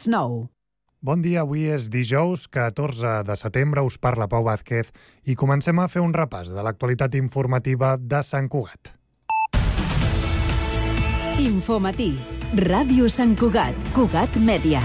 9. Bon dia, avui és dijous 14 de setembre, us parla Pau Vázquez i comencem a fer un repàs de l'actualitat informativa de Sant Cugat. Infomatí. Ràdio Sant Cugat. Cugat Mèdia.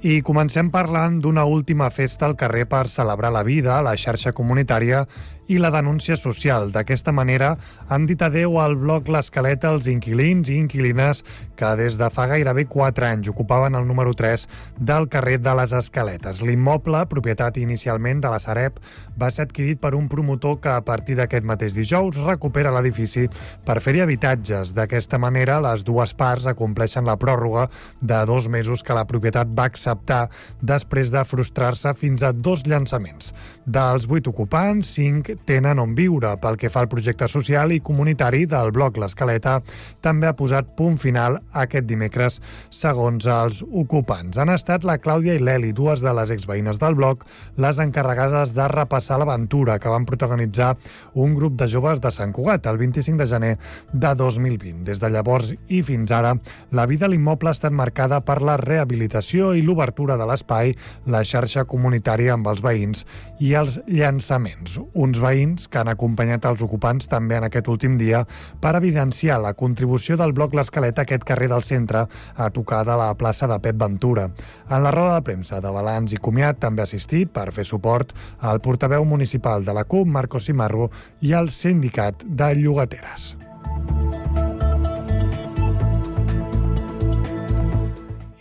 I comencem parlant d'una última festa al carrer per celebrar la vida, la xarxa comunitària i la denúncia social. D'aquesta manera han dit adeu al bloc L'Escaleta als inquilins i inquilines que des de fa gairebé 4 anys ocupaven el número 3 del carrer de les Escaletes. L'immoble, propietat inicialment de la Sareb, va ser adquirit per un promotor que a partir d'aquest mateix dijous recupera l'edifici per fer-hi habitatges. D'aquesta manera, les dues parts acompleixen la pròrroga de 2 mesos que la propietat va acceptar després de frustrar-se fins a 2 llançaments. Dels 8 ocupants, 5 tenen on viure. Pel que fa al projecte social i comunitari del bloc L'Escaleta, també ha posat punt final aquest dimecres, segons els ocupants. Han estat la Clàudia i l'Eli, dues de les exveïnes del bloc, les encarregades de repassar l'aventura que van protagonitzar un grup de joves de Sant Cugat el 25 de gener de 2020. Des de llavors i fins ara, la vida a l'immoble ha estat marcada per la rehabilitació i l'obertura de l'espai, la xarxa comunitària amb els veïns i els llançaments. Uns veïns que han acompanyat els ocupants també en aquest últim dia per evidenciar la contribució del bloc L'Escaleta a aquest carrer del centre a tocar de la plaça de Pep Ventura. En la roda de premsa de balanç i comiat també ha assistit per fer suport al portaveu municipal de la CUP, Marcos Cimarro, i al sindicat de llogateres.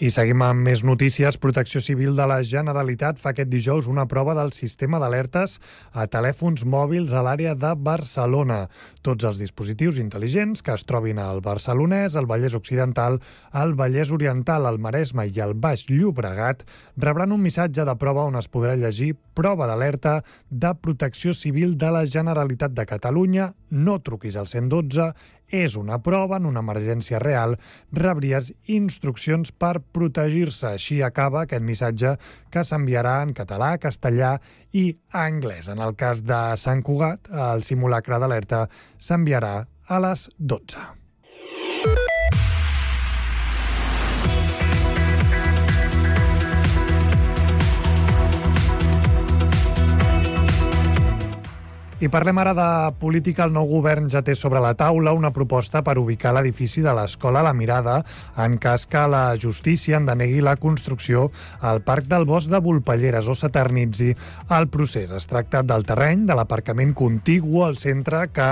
I seguim amb més notícies. Protecció Civil de la Generalitat fa aquest dijous una prova del sistema d'alertes a telèfons mòbils a l'àrea de Barcelona. Tots els dispositius intel·ligents que es trobin al Barcelonès, al Vallès Occidental, al Vallès Oriental, al Maresme i al Baix Llobregat rebran un missatge de prova on es podrà llegir prova d'alerta de Protecció Civil de la Generalitat de Catalunya. No truquis al 112, és una prova, en una emergència real, rebries instruccions per protegir-se. Així acaba aquest missatge que s'enviarà en català, castellà i anglès. En el cas de Sant Cugat, el simulacre d'alerta s'enviarà a les 12. I parlem ara de política. El nou govern ja té sobre la taula una proposta per ubicar l'edifici de l'Escola La Mirada en cas que la justícia en denegui la construcció al Parc del Bosc de Volpelleres o s'eternitzi el procés. Es tracta del terreny de l'aparcament contigu al centre que,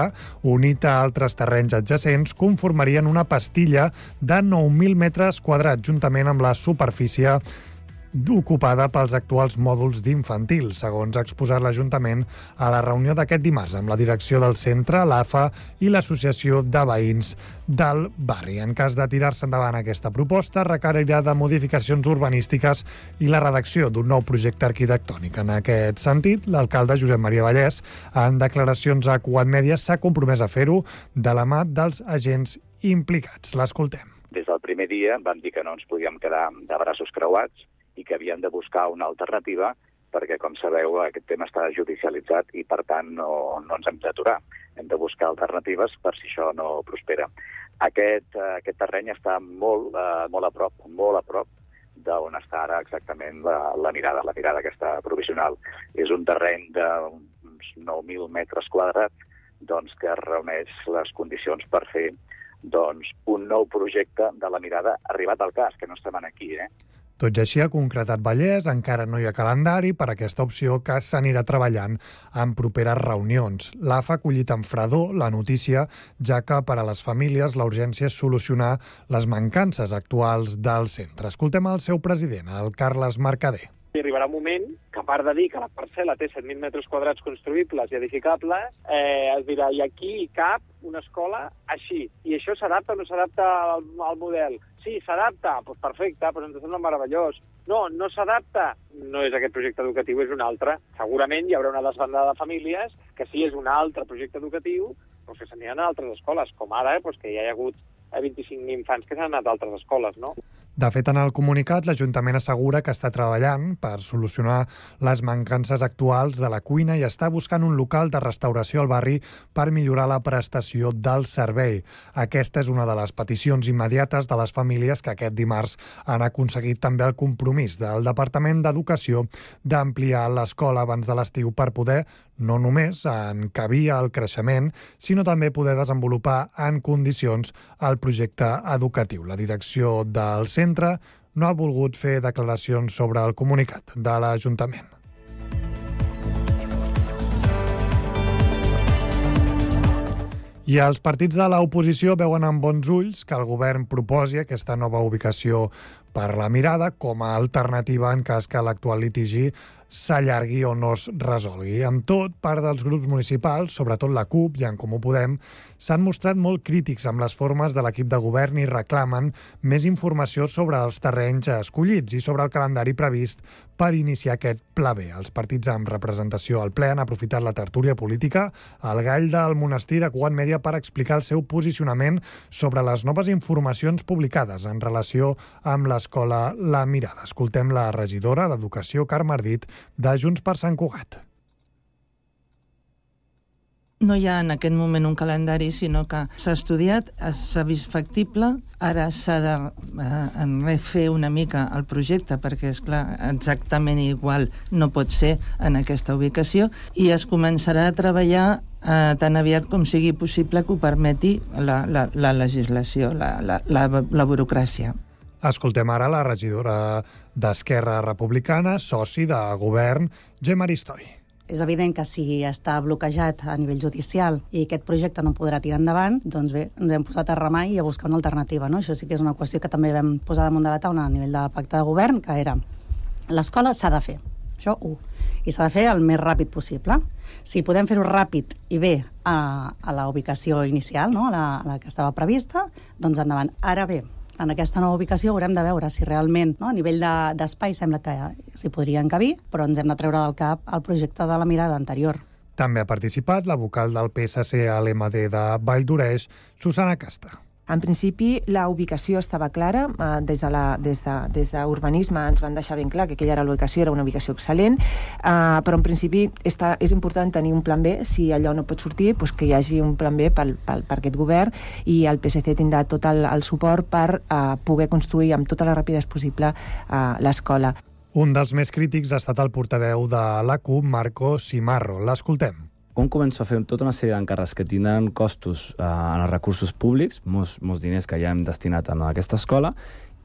unit a altres terrenys adjacents, conformarien una pastilla de 9.000 metres quadrats, juntament amb la superfície ocupada pels actuals mòduls d'infantil, segons ha exposat l'Ajuntament a la reunió d'aquest dimarts amb la direcció del centre, l'AFA i l'Associació de Veïns del barri. En cas de tirar-se endavant aquesta proposta, requerirà de modificacions urbanístiques i la redacció d'un nou projecte arquitectònic. En aquest sentit, l'alcalde Josep Maria Vallès, en declaracions a Cugat Mèdia, s'ha compromès a fer-ho de la mà dels agents implicats. L'escoltem. Des del primer dia vam dir que no ens podíem quedar de braços creuats i que havíem de buscar una alternativa perquè, com sabeu, aquest tema està judicialitzat i, per tant, no ens hem d'aturar. Hem de buscar alternatives per si això no prospera. Aquest terreny està molt a prop d'on està ara exactament la mirada aquesta provisional. És un terreny d'uns 9.000 metres quadrats que reuneix les condicions per fer un nou projecte de la mirada arribat al cas, que no estem aquí, Tot i així, ha concretat Vallès, encara no hi ha calendari per aquesta opció que s'anirà treballant en properes reunions. l'AFA ha acollit amb fredor la notícia, ja que per a les famílies la urgència és solucionar les mancances actuals del centre. Escoltem el seu president, el Carles Mercader. I arribarà un moment que, a part de dir que la parcel·la té 7.000 metres quadrats construïbles i edificables, es dirà, i aquí cap una escola així. I això s'adapta o no s'adapta al model? Sí, s'adapta, doncs perfecte, doncs ens sembla meravellós. No, no s'adapta, no és aquest projecte educatiu, és un altre. Segurament hi haurà una desbandada de famílies que sí és un altre projecte educatiu, però que s'aniran a altres escoles, com ara, que ja hi ha hagut 25 infants que s'han anat a altres escoles, no? De fet, en el comunicat, l'Ajuntament assegura que està treballant per solucionar les mancances actuals de la cuina i està buscant un local de restauració al barri per millorar la prestació del servei. Aquesta és una de les peticions immediates de les famílies que aquest dimarts han aconseguit també el compromís del Departament d'Educació d'ampliar l'escola abans de l'estiu per poder no només encabir el creixement, sinó també poder desenvolupar en condicions el projecte educatiu. La direcció del centre no ha volgut fer declaracions sobre el comunicat de l'Ajuntament. I els partits de l'oposició veuen amb bons ulls que el govern proposi aquesta nova ubicació per la Mirada com a alternativa en cas que l'actual litigi s'allargui o no es resolgui. Amb tot, part dels grups municipals, sobretot la CUP i en Comú Podem, s'han mostrat molt crítics amb les formes de l'equip de govern i reclamen més informació sobre els terrenys escollits i sobre el calendari previst per iniciar aquest pla B. Els partits amb representació al ple han aprofitat la tertúlia política al Gall del Monestir de Cugat Mèdia per explicar el seu posicionament sobre les noves informacions publicades en relació amb l'escola La Mirada. Escoltem la regidora d'Educació, Carme Ardit, de Junts per Sant Cugat. No hi ha en aquest moment un calendari, sinó que s'ha estudiat, s'ha vist factible, ara s'ha de refer una mica el projecte, perquè, és clar, exactament igual no pot ser en aquesta ubicació, i es començarà a treballar tan aviat com sigui possible que ho permeti la legislació, la burocràcia. Escoltem ara la regidora d'Esquerra Republicana, soci de govern, Gemma Aristoi. És evident que si està bloquejat a nivell judicial i aquest projecte no podrà tirar endavant, doncs bé, ens hem posat a remar i a buscar una alternativa, no? Això sí que és una qüestió que també vam posar damunt de la taula a nivell de pacte de govern, que era l'escola s'ha de fer, això i s'ha de fer el més ràpid possible. Si podem fer-ho ràpid i bé a la ubicació inicial, no? a la que estava prevista, doncs endavant. Ara bé, en aquesta nova ubicació haurem de veure si realment, no, a nivell d'espai sembla que s'hi podria encabir, però ens hem de treure del cap el projecte de la Mirada anterior. També ha participat la vocal del PSC a l'MD de Vall d'Oreix, Susana Casta. En principi, la ubicació estava clara. Des d'urbanisme ens van deixar ben clar que aquella era una ubicació excel·lent, però en principi és important tenir un plan B. Si allò no pot sortir, doncs que hi hagi un plan B per aquest govern, i el PSC tindrà tot el suport per poder construir amb tota la rapidesa possible l'escola. Un dels més crítics ha estat el portaveu de la CUP, Marco Simarro. L'escoltem. Com començo a fer tota una sèrie d'encàrrecs que tindran costos en els recursos públics, molts diners que ja hem destinat a aquesta escola,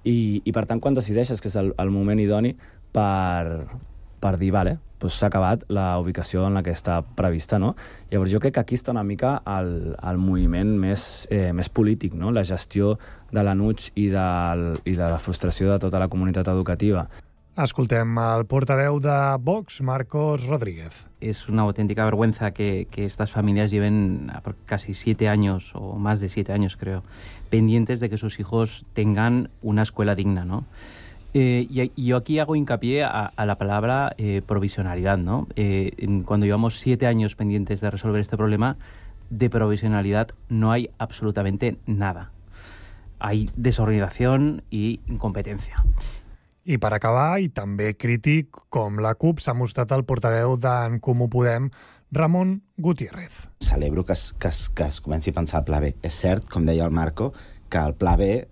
i per tant, quan decideixes que és el moment idoni per dir, vale, doncs s'ha acabat la ubicació en la que està prevista, no? Llavors jo crec que aquí està una mica el moviment més polític, no? La gestió de l'enuig i de la frustració de tota la comunitat educativa. Escoltem el portaveu de Vox, Marcos Rodríguez. Es una auténtica vergüenza que estas familias lleven casi 7 años, o más de 7 años creo, pendientes de que sus hijos tengan una escuela digna, ¿no? Y yo aquí hago hincapié a la palabra provisionalidad, ¿no? Cuando llevamos 7 años pendientes de resolver este problema, de provisionalidad no hay absolutamente nada. Hay desorganización y incompetencia. I per acabar, i també crític, com la CUP, s'ha mostrat el portaveu d'en Comú Podem, Ramon Gutiérrez. Celebro que es comenci a pensar el pla B. És cert, com deia el Marco, que el pla B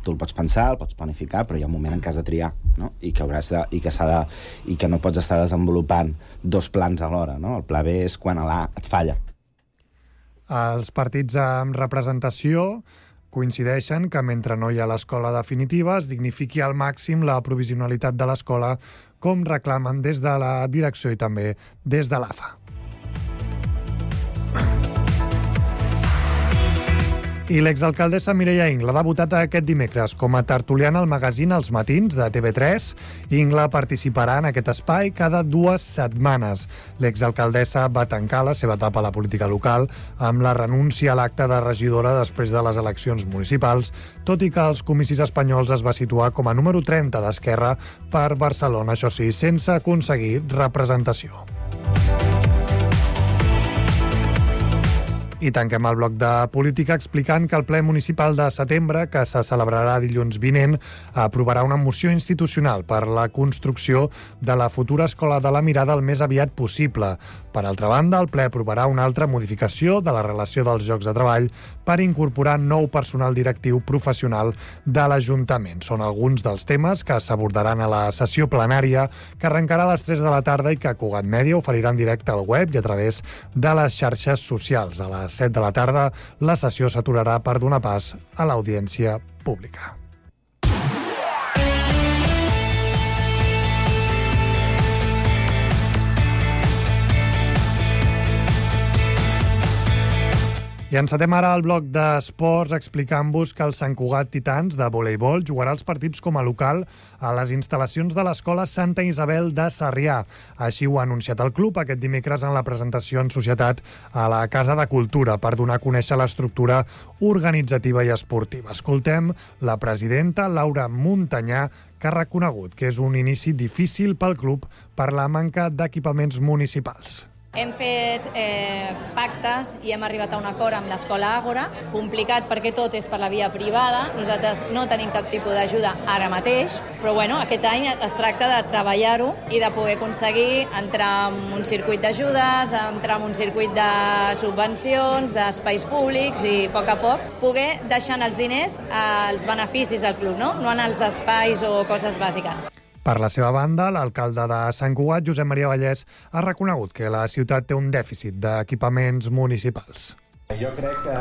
tu el pots pensar, el pots planificar, però hi ha un moment en què has de triar, no? I que no pots estar desenvolupant 2 plans alhora, no? El pla B és quan l'A et falla. Els partits amb representació coincideixen que mentre no hi ha l'escola definitiva es dignifiqui al màxim la provisionalitat de l'escola, com reclamen des de la direcció i també des de l'AFA. I l'exalcaldessa Mireia Ingla ha debutat aquest dimecres com a tertuliana al magazín Els Matins de TV3. Ingla participarà en aquest espai cada 2 setmanes. L'exalcaldessa va tancar la seva etapa a la política local amb la renúncia a l'acte de regidora després de les eleccions municipals, tot i que als comicis espanyols es va situar com a número 30 d'Esquerra per Barcelona, això sí, sense aconseguir representació. I tanquem el bloc de política explicant que el ple municipal de setembre, que se celebrarà dilluns vinent, aprovarà una moció institucional per la construcció de la futura Escola de la Mirada el més aviat possible. Per altra banda, el ple aprovarà una altra modificació de la relació dels llocs de treball per incorporar nou personal directiu professional de l'Ajuntament. Són alguns dels temes que s'abordaran a la sessió plenària que arrencarà a les 3 de la tarda i que Cugat Mèdia oferirà en directe al web i a través de les xarxes socials. A les 7 de la tarda, la sessió s'aturarà per donar pas a l'audiència pública. I encetem ara el bloc d'esports explicant-vos que el Sant Cugat Titans de voleibol jugarà els partits com a local a les instal·lacions de l'Escola Santa Isabel de Sarrià. Així ho ha anunciat el club aquest dimecres en la presentació en societat a la Casa de Cultura per donar a conèixer l'estructura organitzativa i esportiva. Escoltem la presidenta Laura Muntanyà, que ha reconegut que és un inici difícil pel club per la manca d'equipaments municipals. Hem fet pactes i hem arribat a un acord amb l'Escola Àgora, complicat perquè tot és per la via privada. Nosaltres no tenim cap tipus d'ajuda ara mateix, però aquest any es tracta de treballar-ho i de poder aconseguir entrar en un circuit d'ajudes, entrar en un circuit de subvencions, d'espais públics i a poc poder deixar els diners als beneficis del club, no en els espais o coses bàsiques. Per la seva banda, l'alcalde de Sant Cugat, Josep Maria Vallès, ha reconegut que la ciutat té un dèficit d'equipaments municipals. Jo crec que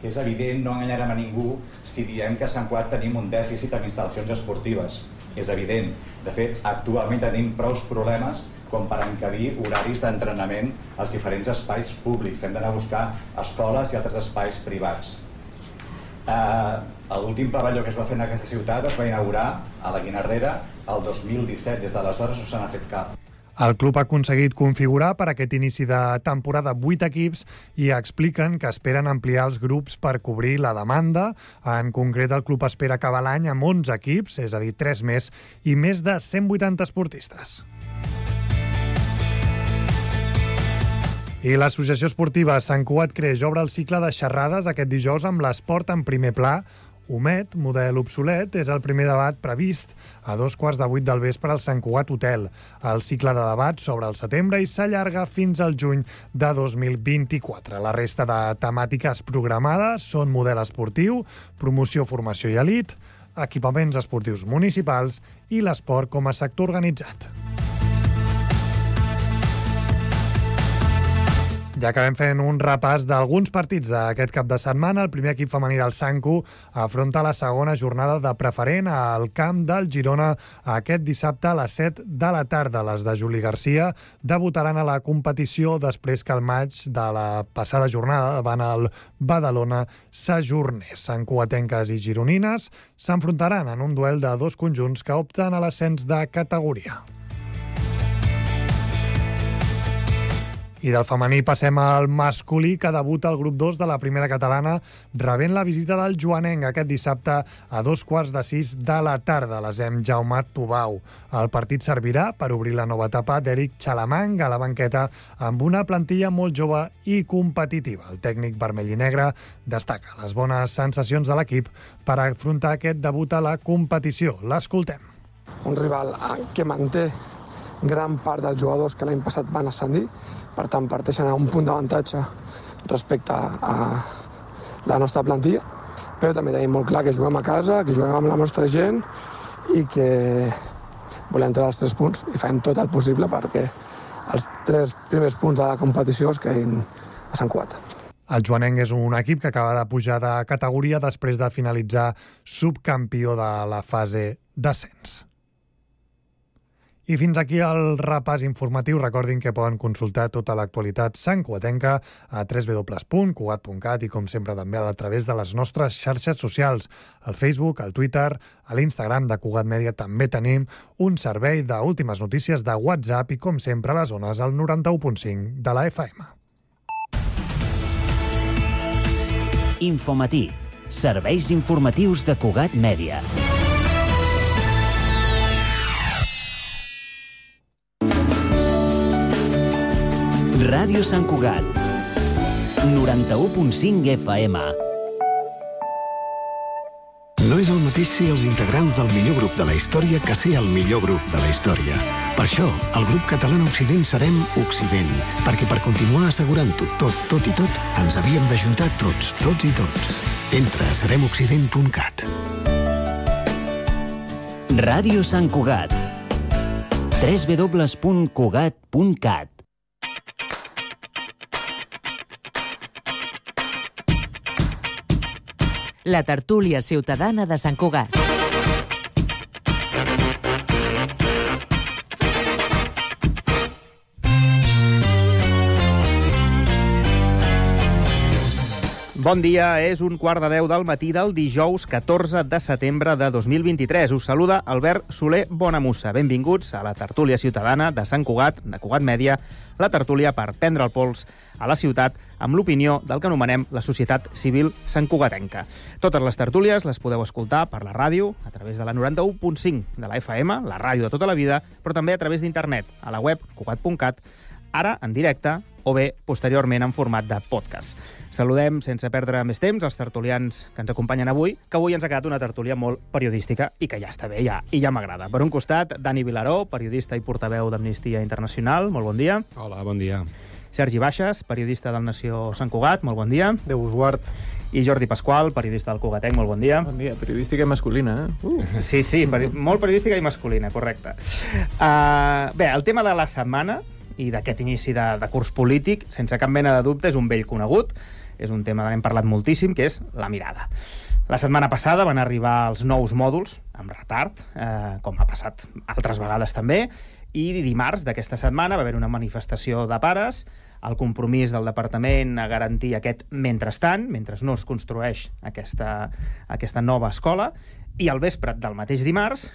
és evident, no enganyarem a ningú si diem que a Sant Cugat tenim un dèficit en instal·lacions esportives. És evident. De fet, actualment tenim prou problemes com per encabir horaris d'entrenament als diferents espais públics. Hem d'anar a buscar escoles i altres espais privats. L'últim pavelló que es va fer en aquesta ciutat es va inaugurar a la Guinardera el 2017. Des d'aleshores no se n'ha fet cap. El club ha aconseguit configurar per aquest inici de temporada 8 equips i expliquen que esperen ampliar els grups per cobrir la demanda. En concret, el club espera acabar l'any amb 11 equips, és a dir, 3 més, i més de 180 esportistes. I l'Associació Esportiva Sant Cugat Creix obre el cicle de xerrades aquest dijous amb l'esport en primer pla. Homet, model obsolet, és el primer debat previst a 7:15 del vespre al Sant Cugat Hotel. El cicle de debat s'obre al setembre i s'allarga fins al juny de 2024. La resta de temàtiques programades són model esportiu, promoció, formació i elit, equipaments esportius municipals i l'esport com a sector organitzat. Ja acabem fent un repàs d'alguns partits d'aquest cap de setmana. El primer equip femení del Sancu afronta la segona jornada de preferent al camp del Girona aquest dissabte a les 7 de la tarda. Les de Juli Garcia debutaran a la competició després que el maig de la passada jornada davant el Badalona s'ajornés. Santcugatenques i gironines s'enfrontaran en un duel de dos conjunts que opten a l'ascens de categoria. I del femení passem al masculí, que debuta al grup 2 de la primera catalana, rebent la visita del Joanenc aquest dissabte a 5:45 de la tarda. L'Asem Jaume Tubau. El partit servirà per obrir la nova etapa d'Eric Xalamang a la banqueta amb una plantilla molt jove i competitiva. El tècnic vermell i negre destaca les bones sensacions de l'equip per afrontar aquest debut a la competició. L'escoltem. Un rival que manté gran part dels jugadors que l'any passat van ascendir, per tant parteixen a un punt d'avantatge respecte a la nostra plantilla, però també tenim molt clar que juguem a casa, que juguem amb la nostra gent i que volem treure els 3 punts i fem tot el possible perquè els 3 primers punts de la competició es quedin a Sant Cugat. El Joanenc és un equip que acaba de pujar de categoria després de finalitzar subcampió de la fase d'ascens. I fins aquí el repàs informatiu. Recordin que poden consultar tota l'actualitat santcugatenca a www.cugat.cat i, com sempre, també a través de les nostres xarxes socials. Al Facebook, al Twitter, a l'Instagram de Cugat Mèdia també tenim un servei d'últimes notícies de WhatsApp i, com sempre, a les zones al 91.5 de la FM. Infomatí. Serveis informatius de Cugat Mèdia. Ràdio Sant Cugat. 91.5 FM. No és el mateix ser els integrants del millor grup de la història que ser el millor grup de la història. Per això, el grup català Occident serem Occident, perquè per continuar assegurant-ho tot i tot, ens havíem d'ajuntar tots i tots. Entra a seremoccident.cat. Ràdio Sant Cugat. www.cugat.cat. La tertúlia ciutadana de Sant Cugat. Bon dia, és 1:15 del matí del dijous 14 de setembre de 2023. Us saluda Albert Soler Bonamussa. Benvinguts a la tertúlia ciutadana de Sant Cugat, de Cugat Mèdia, la tertúlia per prendre el pols a la ciutat amb l'opinió del que anomenem la societat civil santcugatenca. Totes les tertúlies les podeu escoltar per la ràdio, a través de la 91.5 de la FM, la ràdio de tota la vida, però també a través d'internet, a la web cugat.cat, ara en directe o bé posteriorment en format de podcast. Saludem, sense perdre més temps, els tertulians que ens acompanyen avui, que avui ens ha quedat una tertúlia molt periodística i que ja està bé, i ja m'agrada. Per un costat, Dani Vilaró, periodista i portaveu d'Amnistia Internacional. Molt bon dia. Hola, bon dia. Sergi Baixes, periodista del Nació Sant Cugat. Molt bon dia. Déu us guard. I Jordi Pasqual, periodista del Cugatenc. Molt bon dia. Bon dia. Periodística i masculina, eh? Sí, molt periodística i masculina, correcte. Bé, el tema de la setmana i d'aquest inici de curs polític, sense cap mena de dubte, és un vell conegut. És un tema que hem parlat moltíssim, que és la mirada. La setmana passada van arribar els nous mòduls, amb retard, com ha passat altres vegades també, i dimarts d'aquesta setmana va haver una manifestació de pares, el compromís del departament a garantir aquest mentrestant, mentre no es construeix aquesta nova escola, i al vespre del mateix dimarts,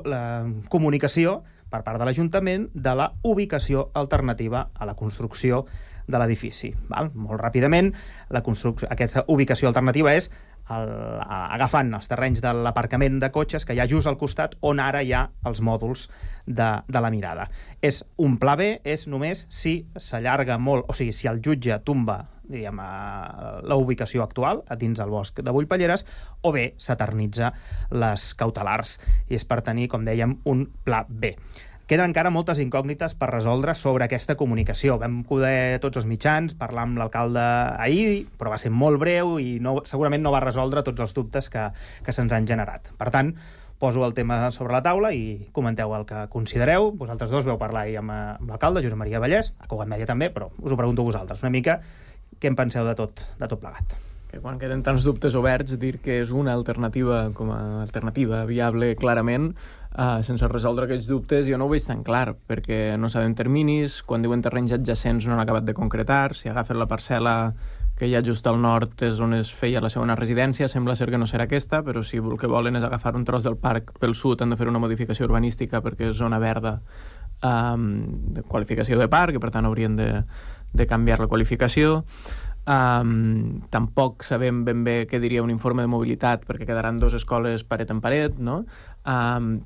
la comunicació per part de l'Ajuntament de la ubicació alternativa a la construcció de l'edifici. Molt ràpidament, aquesta ubicació alternativa és agafant els terrenys de l'aparcament de cotxes que hi ha just al costat on ara hi ha els mòduls de la mirada. És un pla B, és només si s'allarga molt, o sigui, si el jutge tomba la ubicació actual a dins el bosc de Bullpalleres, o bé s'eternitza les cautelars, i és per tenir, com dèiem, un pla B. Queden encara moltes incògnites per resoldre sobre aquesta comunicació. Vam poder tots els mitjans parlar amb l'alcalde ahir, però va ser molt breu i segurament no va resoldre tots els dubtes que se'ns han generat. Per tant, poso el tema sobre la taula i comenteu el que considereu. Vosaltres dos veu parlar ahir amb l'alcalde, Josep Maria Vallès, a Cugat Mèdia també, però us ho pregunto a vosaltres una mica. Què en penseu de tot plegat? Que quan queden tants dubtes oberts, dir que és una alternativa com a alternativa viable clarament, sense resoldre aquests dubtes, jo no ho veig tan clar, perquè no sabem terminis, quan diuen terrenys adjacents no han acabat de concretar, si agafen la parcel·la que hi ha just al nord és on es feia la segona residència, sembla ser que no serà aquesta, però si el que volen és agafar un tros del parc pel sud, han de fer una modificació urbanística perquè és zona verda, de qualificació de parc, i per tant haurien de canviar la qualificació. Tampoc sabem ben bé què diria un informe de mobilitat, perquè quedaran dues escoles paret en paret, no?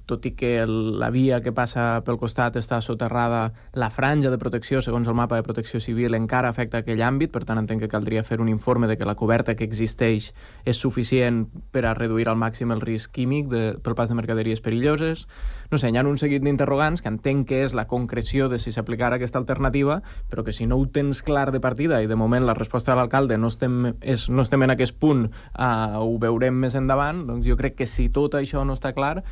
Tot i que la via que passa pel costat està soterrada, la franja de protecció, segons el mapa de protecció civil, encara afecta aquell àmbit, per tant entenc que caldria fer un informe de que la coberta que existeix és suficient per a reduir al màxim el risc químic pel pas de mercaderies perilloses. No sé, hi ha un seguit d'interrogants que entenc que és la concreció de si s'aplicarà aquesta alternativa, però que si no ho tens clar de partida i de moment la resposta de l'alcalde no estem en aquest punt, ho veurem més endavant, doncs jo crec que si tot això no està clar,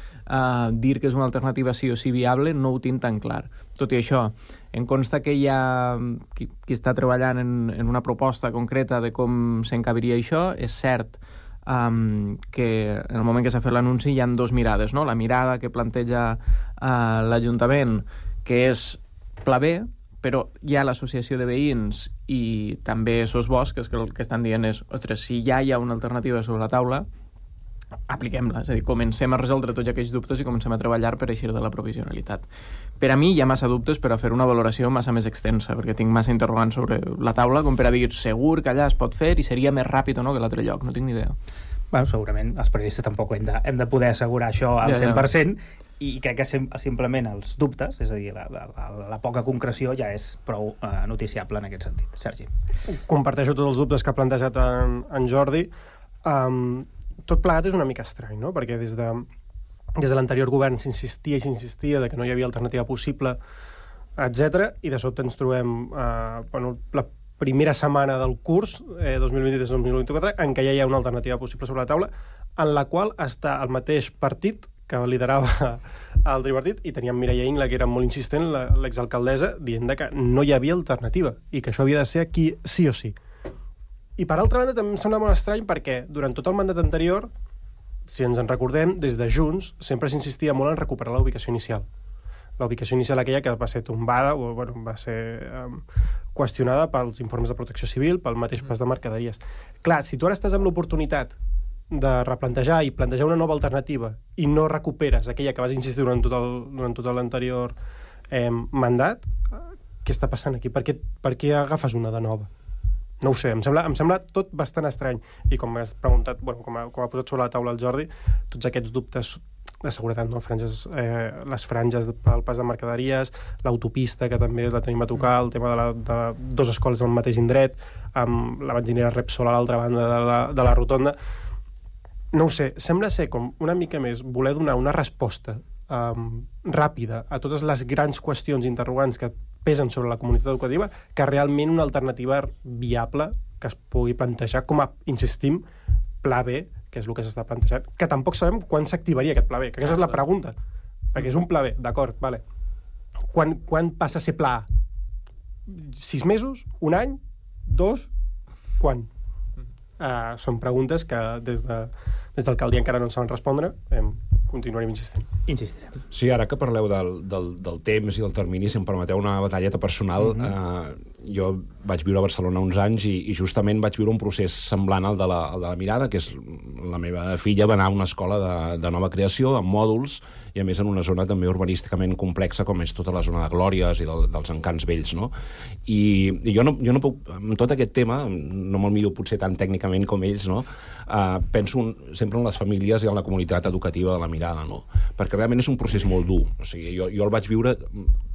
dir que és una alternativa sí o sí viable no ho tinc tan clar. Tot i això, em consta que hi ha qui està treballant en una proposta concreta de com s'encabiria això. És cert que en el moment que s'ha fet l'anunci hi ha dues mirades, no? La mirada que planteja l'Ajuntament, que és pla B, però hi ha l'associació de veïns i també SOS Bosc, que el que estan dient és, ostres, si ja hi ha una alternativa sobre la taula, apliquem-la, és a dir, comencem a resoldre tots aquells dubtes i comencem a treballar per eixir de la provisionalitat. Per a mi hi ha massa dubtes per a fer una valoració massa més extensa, perquè tinc massa interrogants sobre la taula com per a dir segur que allà es pot fer i seria més ràpid o no que l'altre lloc, no tinc ni idea. Bueno, segurament els periodistes tampoc hem de poder assegurar això al 100%, I crec que simplement els dubtes, és a dir, la poca concreció ja és prou noticiable en aquest sentit. Sergi. Comparteixo tots els dubtes que ha plantejat en Jordi. Tot plegat és una mica estrany, no? Perquè des de l'anterior govern s'insistia de que no hi havia alternativa possible, etc. I de sobte ens trobem la primera setmana del curs, 2023-2024, en què ja hi ha una alternativa possible sobre la taula, en la qual està el mateix partit que liderava el tripartit, i teníem Mireia Ingla, que era molt insistent, l'exalcaldessa, dient que no hi havia alternativa i que això havia de ser aquí sí o sí. I per altra banda també em sembla molt estrany perquè durant tot el mandat anterior, si ens en recordem, des de Junts sempre s'insistia molt en recuperar la ubicació inicial. La ubicació inicial aquella que va ser tombada, o va ser qüestionada pels informes de protecció civil, pel mateix pas de mercaderies. Clar, si tu ara estàs amb l'oportunitat de replantejar i plantejar una nova alternativa i no recuperes aquella que vas insistir durant tot l'anterior mandat, què està passant aquí? Per què agafes una de nova? No ho sé, em sembla tot bastant estrany. I com has preguntat, com ha posat sobre la taula el Jordi, tots aquests dubtes de seguretat, no? Les franges pel pas de mercaderies, l'autopista, que també la tenim a tocar, el tema de dues escoles al mateix indret, amb la benzinera Repsol a l'altra banda de la rotonda. No ho sé, sembla ser com una mica més voler donar una resposta ràpida a totes les grans qüestions interrogants que pesen sobre la comunitat educativa, que realment una alternativa viable que es pugui plantejar com a, insistim, pla B, que és el que s'està plantejant, que tampoc sabem quan s'activaria aquest pla B, que aquesta és la pregunta, perquè és un pla B, d'acord, vale. Quan passa a ser pla A? 6 mesos? Un any? 2? Quan? Són preguntes que des d'alcaldia encara no en saben respondre, continuarem insistint. Insistirem. Sí, ara que parleu del temps i del termini, si em permeteu una batalleta personal, jo vaig viure a Barcelona uns anys i justament vaig viure un procés semblant al de la Mirada, que és la meva filla va anar a una escola de nova creació, amb mòduls, i a més en una zona també urbanísticament complexa com és tota la zona de Glòries i dels Encants Vells, no? I jo no puc, amb tot aquest tema, no me'l miro potser tan tècnicament com ells, no? Penso sempre en les famílies i en la comunitat educativa de la Mirada, no? Perquè realment és un procés molt dur. O sigui, jo el vaig viure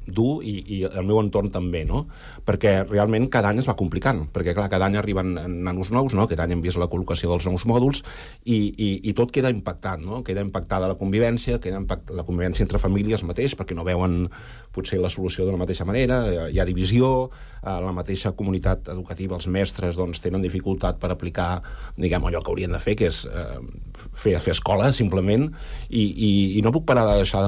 dur i el meu entorn també, no? Perquè realment cada any es va complicant, perquè clar, cada any arriben nanos nous, no? Aquest any hem vist la col·locació dels nous mòduls i tot queda impactat, no? Queda impactada la convivència, queda la convivència entre famílies mateix, perquè no veuen potser la solució de la mateixa manera, hi ha divisió, la mateixa comunitat educativa, els mestres, doncs, tenen dificultat per aplicar, diguem, allò que haurien de fer, que és fer escola, simplement, i no puc parar de deixar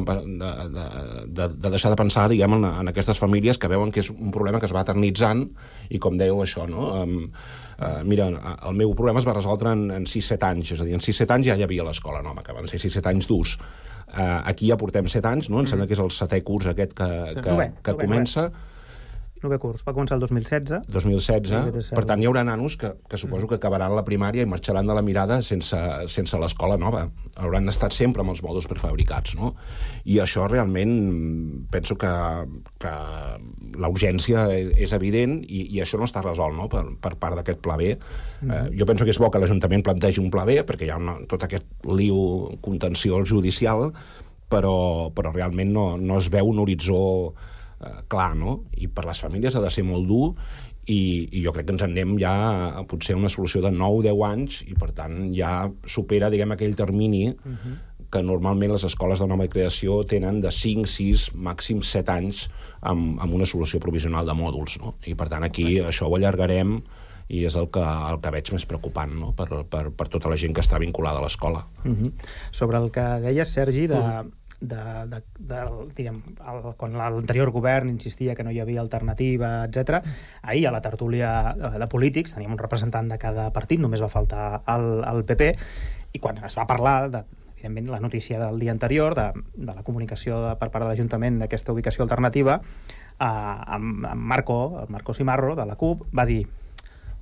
de pensar, diguem, en aquestes famílies que veuen que és un problema que es va eternitzant i, com dèieu, això, no? Mira, el meu problema es va resoldre en 6-7 anys, és a dir, en 6-7 anys ja hi havia l'escola nova, que van ser 6-7 anys durs. Aquí ja portem 7 anys, no? Em sembla que és el 7è curs aquest que comença. 9è curs, va començar el 2016. 2016, per tant hi haurà nanos que suposo que acabaran la primària i marxaran de la Mirada sense l'escola nova. Hauran estat sempre amb els mòduls prefabricats, no? I això realment penso que la urgència és evident i això no està resolt, no? Per part d'aquest pla B. Jo penso que és bo que l'Ajuntament plantegi un pla B perquè hi ha tot aquest liu contenciós judicial, però realment no es veu un horitzó clar, no? I per les famílies ha de ser molt dur i jo crec que ens en anem ja a potser una solució de 9-10 anys i per tant ja supera, diguem, aquell termini que normalment les escoles de nova creació tenen de 5, 6, màxim 7 anys amb una solució provisional de mòduls, no? I per tant aquí això ho allargarem i és el que veig més preocupant, no? Per tota la gent que està vinculada a l'escola. Sobre el que deies, Sergi, quan l'anterior govern insistia que no hi havia alternativa, etc. Ahir a la tertúlia de polítics teníem un representant de cada partit, només va faltar el PP, i quan es va parlar evidentment la notícia del dia anterior de la comunicació per part de l'Ajuntament d'aquesta ubicació alternativa, amb Marco Simarro de la CUP va dir: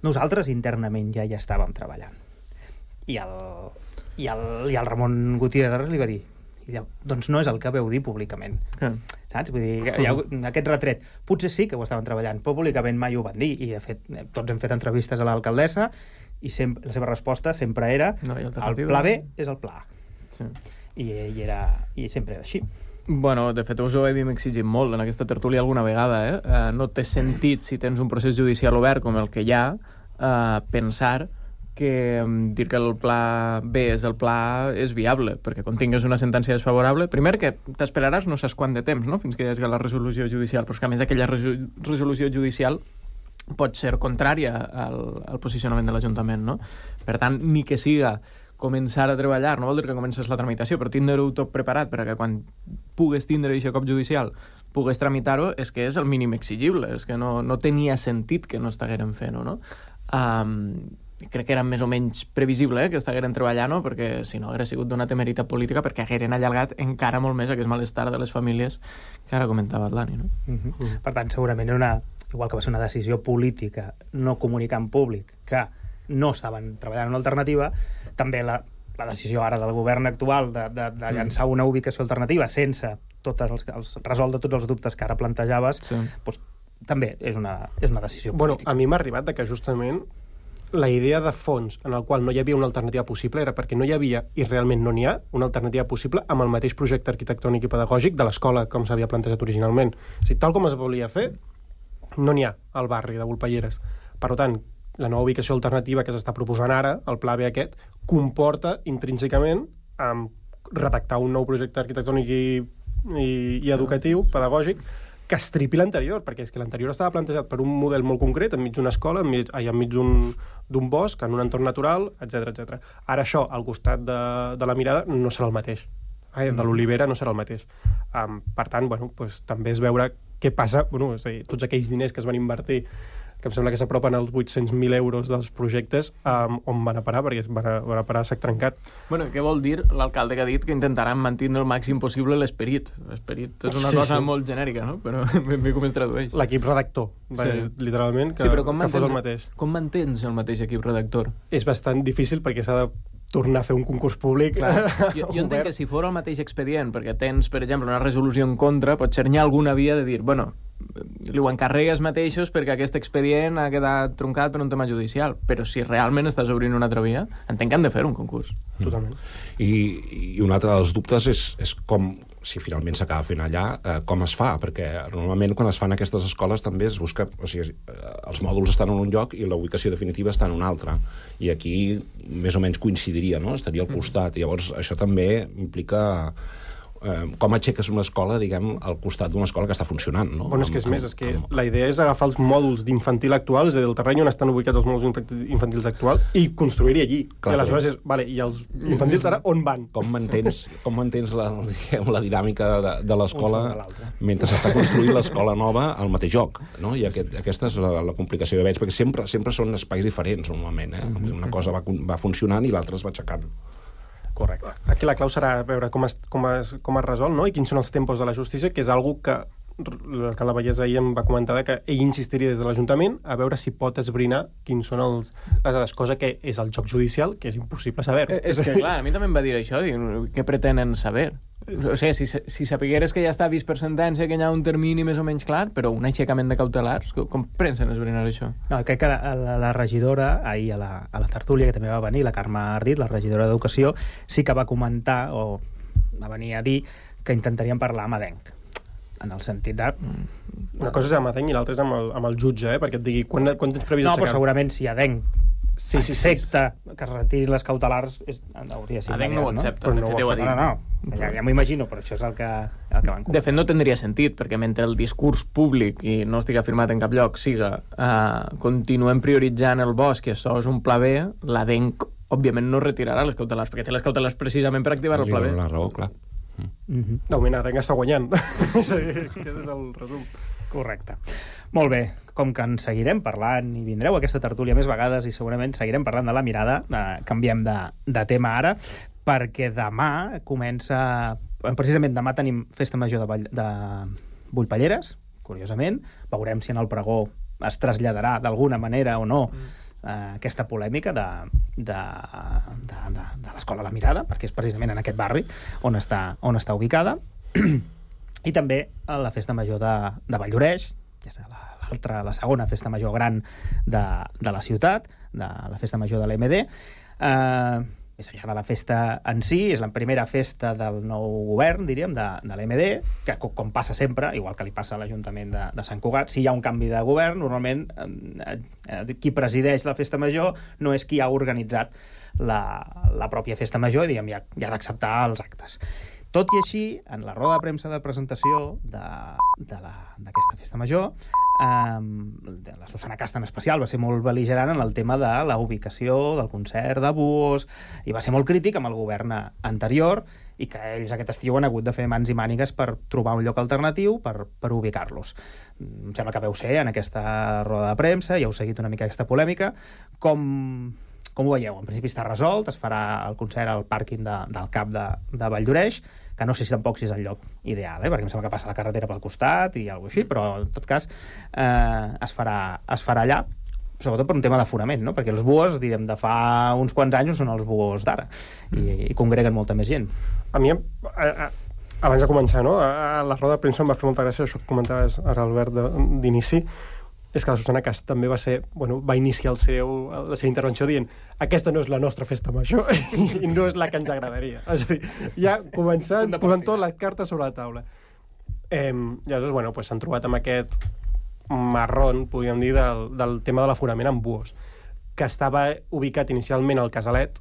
nosaltres internament ja hi estàvem treballant. I el Ramon Gutiérrez li va dir: doncs no és el que veu dir públicament. Saps? Vull dir, hi ha aquest retret. Potser sí que ho estaven treballant, però públicament mai ho van dir. I, de fet, tots hem fet entrevistes a l'alcaldessa i la seva resposta sempre era: el pla B és el pla A. I sempre era així. Bueno, de fet, us ho hem exigit molt en aquesta tertúlia alguna vegada. No té sentit, si tens un procés judicial obert com el que hi ha, pensar que dir que el pla B és el pla A és viable, perquè quan tingues una sentència desfavorable, primer que t'esperaràs no saps quant de temps, no?, fins que hi hagi la resolució judicial, però és que a més aquella resolució judicial pot ser contrària al posicionament de l'Ajuntament, no? Per tant, ni que siga començar a treballar, no vol dir que comences la tramitació, però tindre-ho tot preparat perquè quan pugues tindre aquest cop judicial pugues tramitar-ho, és que és el mínim exigible, és que no tenia sentit que no estigueren fent-ho, no? Crec que era més o menys previsible que estigueren treballant-ho, perquè si no hauria sigut d'una temeritat política, perquè hagueren allargat encara molt més aquest malestar de les famílies que ara comentava Atlani, no? Per tant, segurament igual que va ser una decisió política no comunicar en públic que no estaven treballant en una alternativa, també la decisió ara del govern actual de llançar una ubicació alternativa sense resoldre tots els dubtes que ara plantejaves, doncs, també és una decisió política. A mi m'ha arribat que justament la idea de fons en el qual no hi havia una alternativa possible era perquè no hi havia, i realment no n'hi ha, una alternativa possible amb el mateix projecte arquitectònic i pedagògic de l'escola com s'havia plantejat originalment. O sigui, tal com es volia fer, no n'hi ha al barri de Volpelleres. Per tant, la nova ubicació alternativa que s'està proposant ara, el pla B aquest, comporta intrínsecament redactar un nou projecte arquitectònic i educatiu, pedagògic, que estripi l'anterior, perquè és que l'anterior estava plantejat per un model molt concret, enmig d'una escola, enmig d'un bosc, en un entorn natural, etc. Ara això, al costat de la Mirada, no serà el mateix. De l'Olivera no serà el mateix. Per tant, també és veure què passa, tots aquells diners que es van invertir, que em sembla que s'apropen als 800.000 euros dels projectes, on van a parar, perquè van a parar a sac trencat. Bueno, què vol dir l'alcalde que ha dit que intentaran mantenir el màxim possible l'esperit? L'esperit és una cosa molt genèrica, no? Però ben bé com es tradueix. L'equip redactor, literalment, que fos el mateix. Com mantens el mateix equip redactor? És bastant difícil perquè s'ha de tornar a fer un concurs públic. Jo entenc que si fos el mateix expedient, perquè tens, per exemple, una resolució en contra, potser n'hi ha alguna via de dir, li ho encarregues mateixos perquè aquest expedient ha quedat truncat per un tema judicial, però si realment estàs obrint una altra via, entenc que han de fer un concurs. Totalment. I un altre dels dubtes és com, si finalment s'acaba fent allà, com es fa, perquè normalment quan es fan aquestes escoles també es busca, o sigui, els mòduls estan en un lloc i la ubicació definitiva està en un altre, i aquí més o menys coincidiria, no? Estaria al costat, i llavors això també implica com aixeques una escola, diguem, al costat d'una escola que està funcionant, no? Bueno, és que és més, la idea és agafar els mòduls d'infantil actuals, és a dir, el terreny on estan ubicats els mòduls infantils actuals, i construir-hi allí. I aleshores és, i els infantils ara on van? Com mantens la dinàmica de l'escola mentre s'està construint l'escola nova al mateix lloc, no? I aquesta és la complicació que veig, perquè sempre són espais diferents, normalment, eh? Una cosa va funcionant i l'altra es va aixecant. Correcte. Aquí la clau serà veure com es resol, no? I quins són els tempos de la justícia, que és algo que l'alcalde Vallès ahir em va comentar que ell insistiria des de l'Ajuntament a veure si pot esbrinar quins són les dades, cosa que és el joc judicial, que és impossible saber-ho. És que, clar, a mi també em va dir això, què pretenen saber? O sigui, si sapigueres que ja està vist per sentència, que hi ha un termini més o menys clar, però un aixecament de cautelars, com pensen esbrinar això? No, crec que la regidora, ahir a la tertúlia, que també va venir, la Carme Ardit, la regidora d'Educació, sí que va comentar, o va venir a dir, que intentarien parlar amb Adenc, en el sentit de... Una cosa és amb Adenc i l'altra és amb el jutge, perquè et digui quan tens previst aixecar. No, però segurament si Adenc s'accepta que es retirin les cautelars, hauria de ser Adenc no ho accepta, de fet ho ha dit. No, ja m'ho imagino, però això és el que van comentar. De fet, no tindria sentit, perquè mentre el discurs públic, i no estic afirmat en cap lloc, siga continuem prioritzant el bosc, i això és un pla B, l'Adenc, òbviament, no retirarà les cautelars, perquè té les cautelars precisament per activar el pla B. La raó, clar. D'augment, Adenc està guanyant. Aquest és el resum. Correcte. Molt bé, com que en seguirem parlant i vindreu a aquesta tertúlia més vegades i segurament seguirem parlant de la Mirada, canviem de tema ara, perquè demà comença... Precisament demà tenim Festa Major de Volpelleres, curiosament. Veurem si en el pregó es traslladarà d'alguna manera o no aquesta polèmica de l'escola La Mirada, perquè és precisament en aquest barri on està ubicada. I també a la Festa Major de Valldoreix, que és la segona festa major gran de la ciutat, de la Festa Major de l'EMD. més enllà de la festa en si, és la primera festa del nou govern, diríem, de l'MD, que com passa sempre, igual que li passa a l'Ajuntament de Sant Cugat, si hi ha un canvi de govern, normalment qui presideix la festa major no és qui ha organitzat la pròpia festa major, i diguem, ja ha d'acceptar els actes. Tot i així, en la roda de premsa de presentació d'aquesta festa major, la Susana Casta en especial va ser molt bel·ligerant en el tema de la ubicació del concert de Buos, i va ser molt crític amb el govern anterior, i que ells aquest estiu han hagut de fer mans i mànigues per trobar un lloc alternatiu per ubicar-los. Em sembla que veu ser en aquesta roda de premsa, ja heu seguit una mica aquesta polèmica. Com ho veieu? En principi està resolt, es farà el concert al pàrquing del CAP de Valldoreix, que no sé si tampoc si és el lloc ideal, perquè em sembla que passa la carretera pel costat i alguna cosa així, però en tot cas es farà allà, sobretot per un tema d'aforament, no? Perquè els Buos, direm, de fa uns quants anys són els Buos d'ara, i congreguen molta més gent. A mi, abans de començar, no? A la roda de premsa em va fer molta gràcia això que comentaves ara, Albert, d'inici, és que la Susana Cast també va iniciar la seva intervenció dient aquesta no és la nostra festa major i no és la que ens agradaria. És a dir, ja començant posant totes les cartes sobre la taula. Llavors, s'han trobat amb aquest marrón, podríem dir, del tema de l'aforament en Buos, que estava ubicat inicialment al Casalet,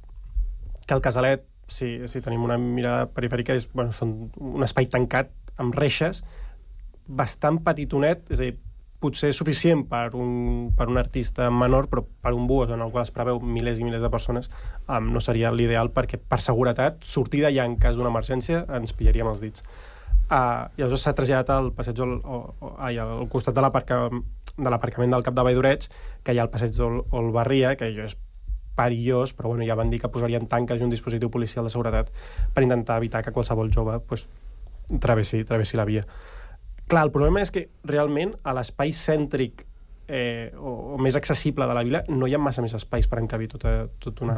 que el Casalet, si tenim una mirada perifèrica, és un espai tancat amb reixes, bastant petitonet, és a dir, potser suficient per un artista menor, però per un Buos en el qual es preveu milers i milers de persones no seria l'ideal, perquè per seguretat sortir d'allà en cas d'una emergència ens pillaríem els dits. Llavors s'ha traslladat al passeig al costat de l'aparcament del Cap de Valldoreix, que hi ha el passeig Olbarria, que és perillós, però ja van dir que posarien tanques i un dispositiu policial de seguretat per intentar evitar que qualsevol jove travessi la via. Clar, el problema és que realment a l'espai cèntric o més accessible de la vila no hi ha massa més espais per encabir tota una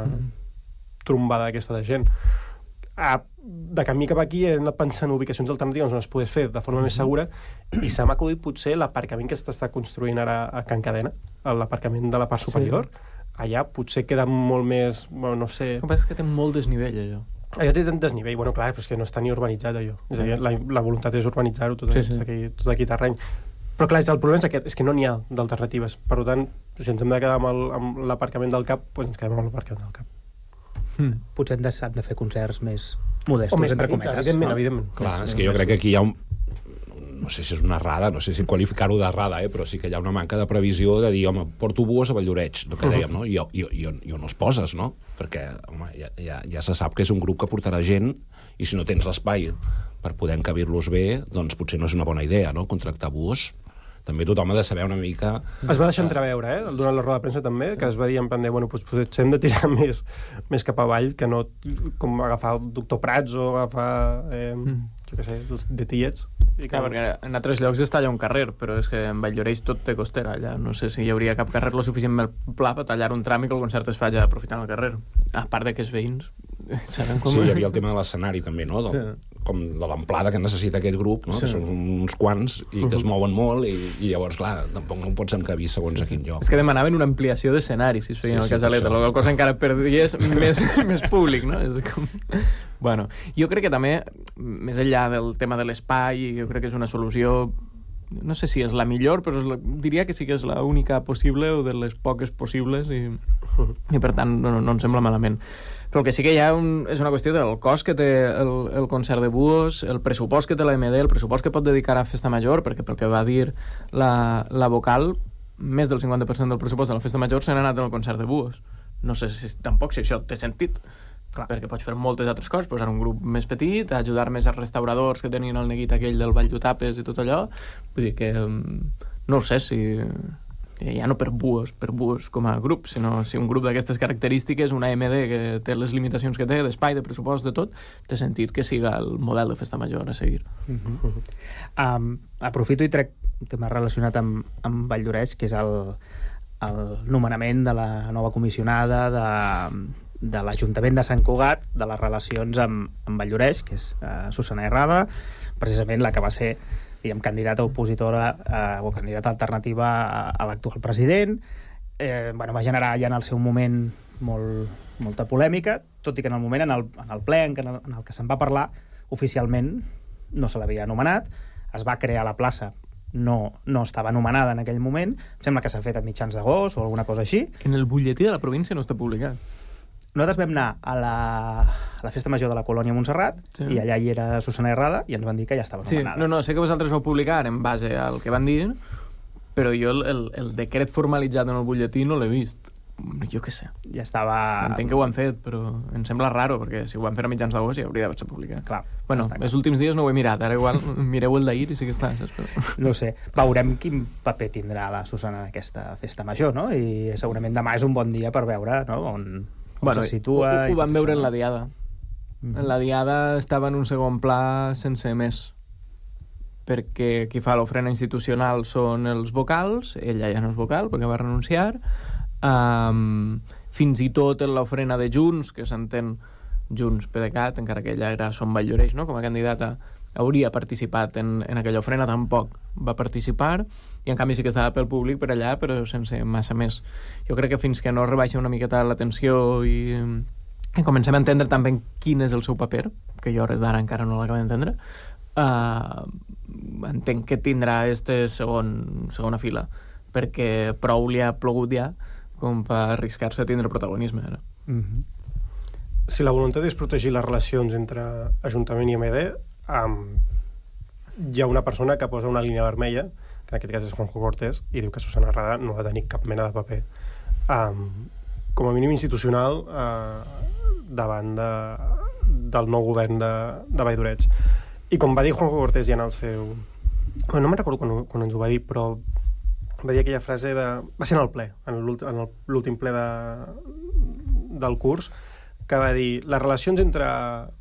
trombada d'aquesta de gent. De camí cap aquí he anat pensant en ubicacions alternatives on es pogués fer de forma més segura, i se m'ha acudit potser l'aparcament que s'està construint ara a Can Cadena, l'aparcament de la part superior. Allà potser queda molt més, no sé... El que passa és que té molt desnivell, allò. Allò té tant desnivell, clar, però és que no està ni urbanitzat, allò. És a dir, la voluntat és urbanitzar-ho tot aquí terreny. Però clar, el problema és aquest, és que no n'hi ha d'alternatives. Per tant, si ens hem de quedar amb l'aparcament del CAP, doncs ens quedem amb l'aparcament del CAP. Potser han de fer concerts més modestos, o més petits, evidentment. Clar, és que jo crec que aquí hi ha no sé si és una errada, no sé si qualificar-ho d'errada, però sí que hi ha una manca de previsió de dir, home, porto Buos a Valldoreix, el que dèiem, no? I on els poses, no? Perquè, home, ja se sap que és un grup que portarà gent, i si no tens l'espai per poder encabir-los bé, doncs potser no és una bona idea, no?, contractar Buos. També tothom ha de saber una mica... Es va deixar entreveure, durant la roda de premsa també, que es va dir en plan de, potser hem de tirar més cap avall, que no com agafar el doctor Prats o agafar, jo què sé, els de Tiets. Clar, perquè en altres llocs està allà un carrer, però és que en Valldoreix tot té costera allà. No sé si hi hauria cap carrer lo suficientment pla per tallar un tram i que el concert es faci aprofitant el carrer. A part de que els veïns saben com... Sí, hi havia el tema de l'escenari també, no? Com de l'amplada que necessita aquest grup, no? Que són uns quants i que es mouen molt i llavors, clar, tampoc no pots encabir segons a quin lloc. És que demanaven una ampliació d'escenari si es feien al Casalet, la cosa encara perdies més públic, no? És com... Bueno, jo crec que també, més enllà del tema de l'espai, jo crec que és una solució, no sé si és la millor, però diria que sí que és l'única possible o de les poques possibles i per tant no em sembla malament. Però el que sí que hi ha és una qüestió del cost que té el concert de Buos, el pressupost que té l'AMD, el pressupost que pot dedicar a Festa Major, perquè pel que va dir la vocal, més del 50% del pressupost de la Festa Major se n'ha anat en el concert de Buos. No sé tampoc si això té sentit. Clar, perquè pots fer moltes altres coses, posar un grup més petit, ajudar més als restauradors que tenien el neguit aquell del Vall d'Utapes i tot allò. Vull dir que no ho sé si ja no per Buos com a grup, sinó si un grup d'aquestes característiques, una AMD que té les limitacions que té, d'espai, de pressupost, de tot, té sentit que siga el model de Festa Major a seguir. Aprofito i trec un tema relacionat amb Valldoreix, que és el nomenament de la nova comissionada de l'Ajuntament de Sant Cugat, de les relacions amb Valldoreix, que és Susana Herrada, precisament la que va ser, diguem, candidata opositora o candidata alternativa a l'actual president. Va generar ja en el seu moment molta polèmica, tot i que en el moment, en el ple en el que se'n va parlar, oficialment no se l'havia anomenat, es va crear la plaça, no estava anomenada en aquell moment, em sembla que s'ha fet a mitjans d'agost o alguna cosa així. En el butlletí de la província no està publicat. Nosaltres vam anar a la festa major de la colònia Montserrat, i allà hi era Susana Herrada, i ens van dir que ja estava anomenada. No, sé que vosaltres vau publicar en base al que van dir, però jo el decret formalitzat en el butlletí no l'he vist. Jo què sé. Ja estava... Entenc que ho han fet, però em sembla raro, perquè si ho van fer a mitjans d'agost ja hauria d'haver-se publicat. Clar. Bueno, els últims dies no ho he mirat, ara igual mireu el d'ahir i sí que està, saps? No sé, veurem quin paper tindrà la Susana en aquesta festa major, no? I segurament demà és un bon dia per veure, no?, on se situa... Ho vam veure en la Diada. En la Diada estava en un segon pla sense més, perquè qui fa l'ofrena institucional són els vocals, ella ja no és vocal perquè va renunciar, fins i tot en l'ofrena de Junts, que s'entén Junts PDeCAT, encara que ella era Som Valldoreix, no?, com a candidata, hauria participat en aquella ofrena, tampoc va participar, i en canvi sí que estava pel públic per allà, però sense massa més. Jo crec que fins que no rebaixa una miqueta la tensió i comencem a entendre també quin és el seu paper, que jo hores d'ara encara no l'acabo d'entendre, entenc que tindrà segona fila, perquè prou li ha plogut ja com per arriscar-se a tindre protagonisme ara. Si la voluntat és protegir les relacions entre Ajuntament i MD, hi ha una persona que posa una línia vermella, que en aquest cas és Juanjo Cortés, i diu que Susana Herrada no ha de tenir cap mena de paper, com a mínim institucional, davant del nou govern de Valldoreix. I com va dir Juanjo Cortés ja en el seu... no me'n recordo quan ens ho va dir, però va dir aquella frase de... va ser en el ple, en l'últim ple del curs, que va dir les relacions entre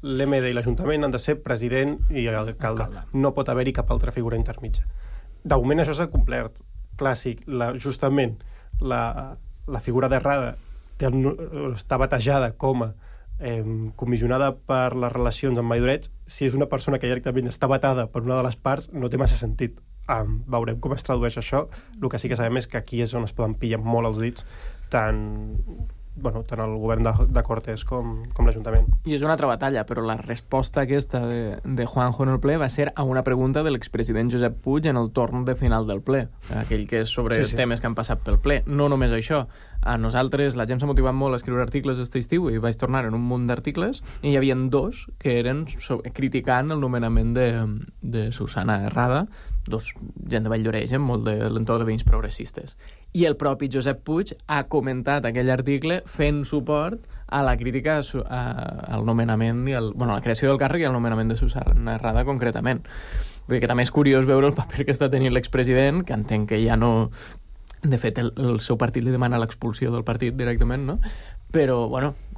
l'MD i l'Ajuntament han de ser president i alcalde. No pot haver-hi cap altra figura intermitja. De moment això s'ha complert. Clàssic, justament la figura d'Herrada està batejada com a comissionada per les relacions amb Valldoreix. Si és una persona que directament està batada per una de les parts, no té massa sentit. Veurem com es tradueix això. El que sí que sabem és que aquí és on es poden pillar molt els dits tant el govern de Cortés com l'Ajuntament. I és una altra batalla, però la resposta aquesta de Juanjo en el ple va ser a una pregunta de l'expresident Josep Puig en el torn de final del ple, aquell que és sobre temes que han passat pel ple. No només això, a nosaltres la gent s'ha motivat molt a escriure articles aquest estiu i vaig tornar en un munt d'articles i hi havia dos que eren criticant el nomenament de Susana Herrada, gent de Valldoreix, molt de l'entorn de veïns progressistes. I el propi Josep Puig ha comentat aquell article fent suport a la crítica al nomenament a la creació del càrrec i al nomenament de Susana Herrada concretament. Vull dir que també és curiós veure el paper que està tenint l'expresident, que entenc que ja no... De fet, el seu partit li demana l'expulsió del partit directament, no? Però,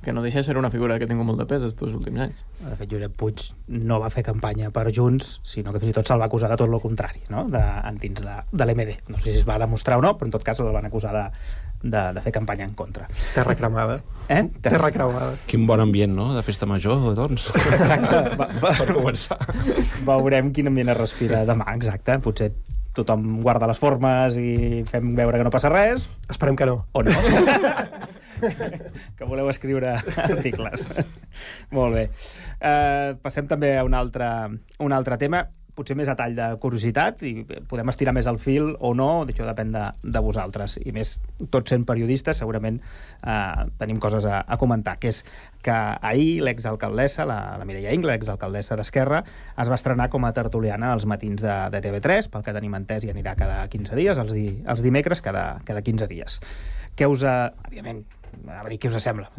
que no deixa de ser una figura que ha tingut molt de pes estos últims anys. De fet, Josep Puig no va fer campanya per Junts, sinó que fins i tot se'l va acusar de tot el contrari, no?, dins de l'MD. No sé si es va demostrar o no, però en tot cas el van acusar de fer campanya en contra. Terra cremada. Terra cremada. Quin bon ambient, no?, de festa major, doncs. Exacte. Per començar. Veurem quin ambient es respira demà, exacte. Potser tothom guarda les formes i fem veure que no passa res. Esperem que no. O no. Que voleu escriure articles. Molt bé. Passem també a un altre tema, potser més a tall de curiositat, i podem estirar més el fil o no, això depèn de vosaltres, i més tots sent periodistes segurament tenim coses a comentar, que és que ahir l'exalcaldessa, la Mireia Ingla, l'exalcaldessa d'Esquerra, es va estrenar com a tertuliana als matins de TV3, pel que tenim entès i anirà cada 15 dies, els dimecres cada 15 dies. Què us òbviament, què us sembla?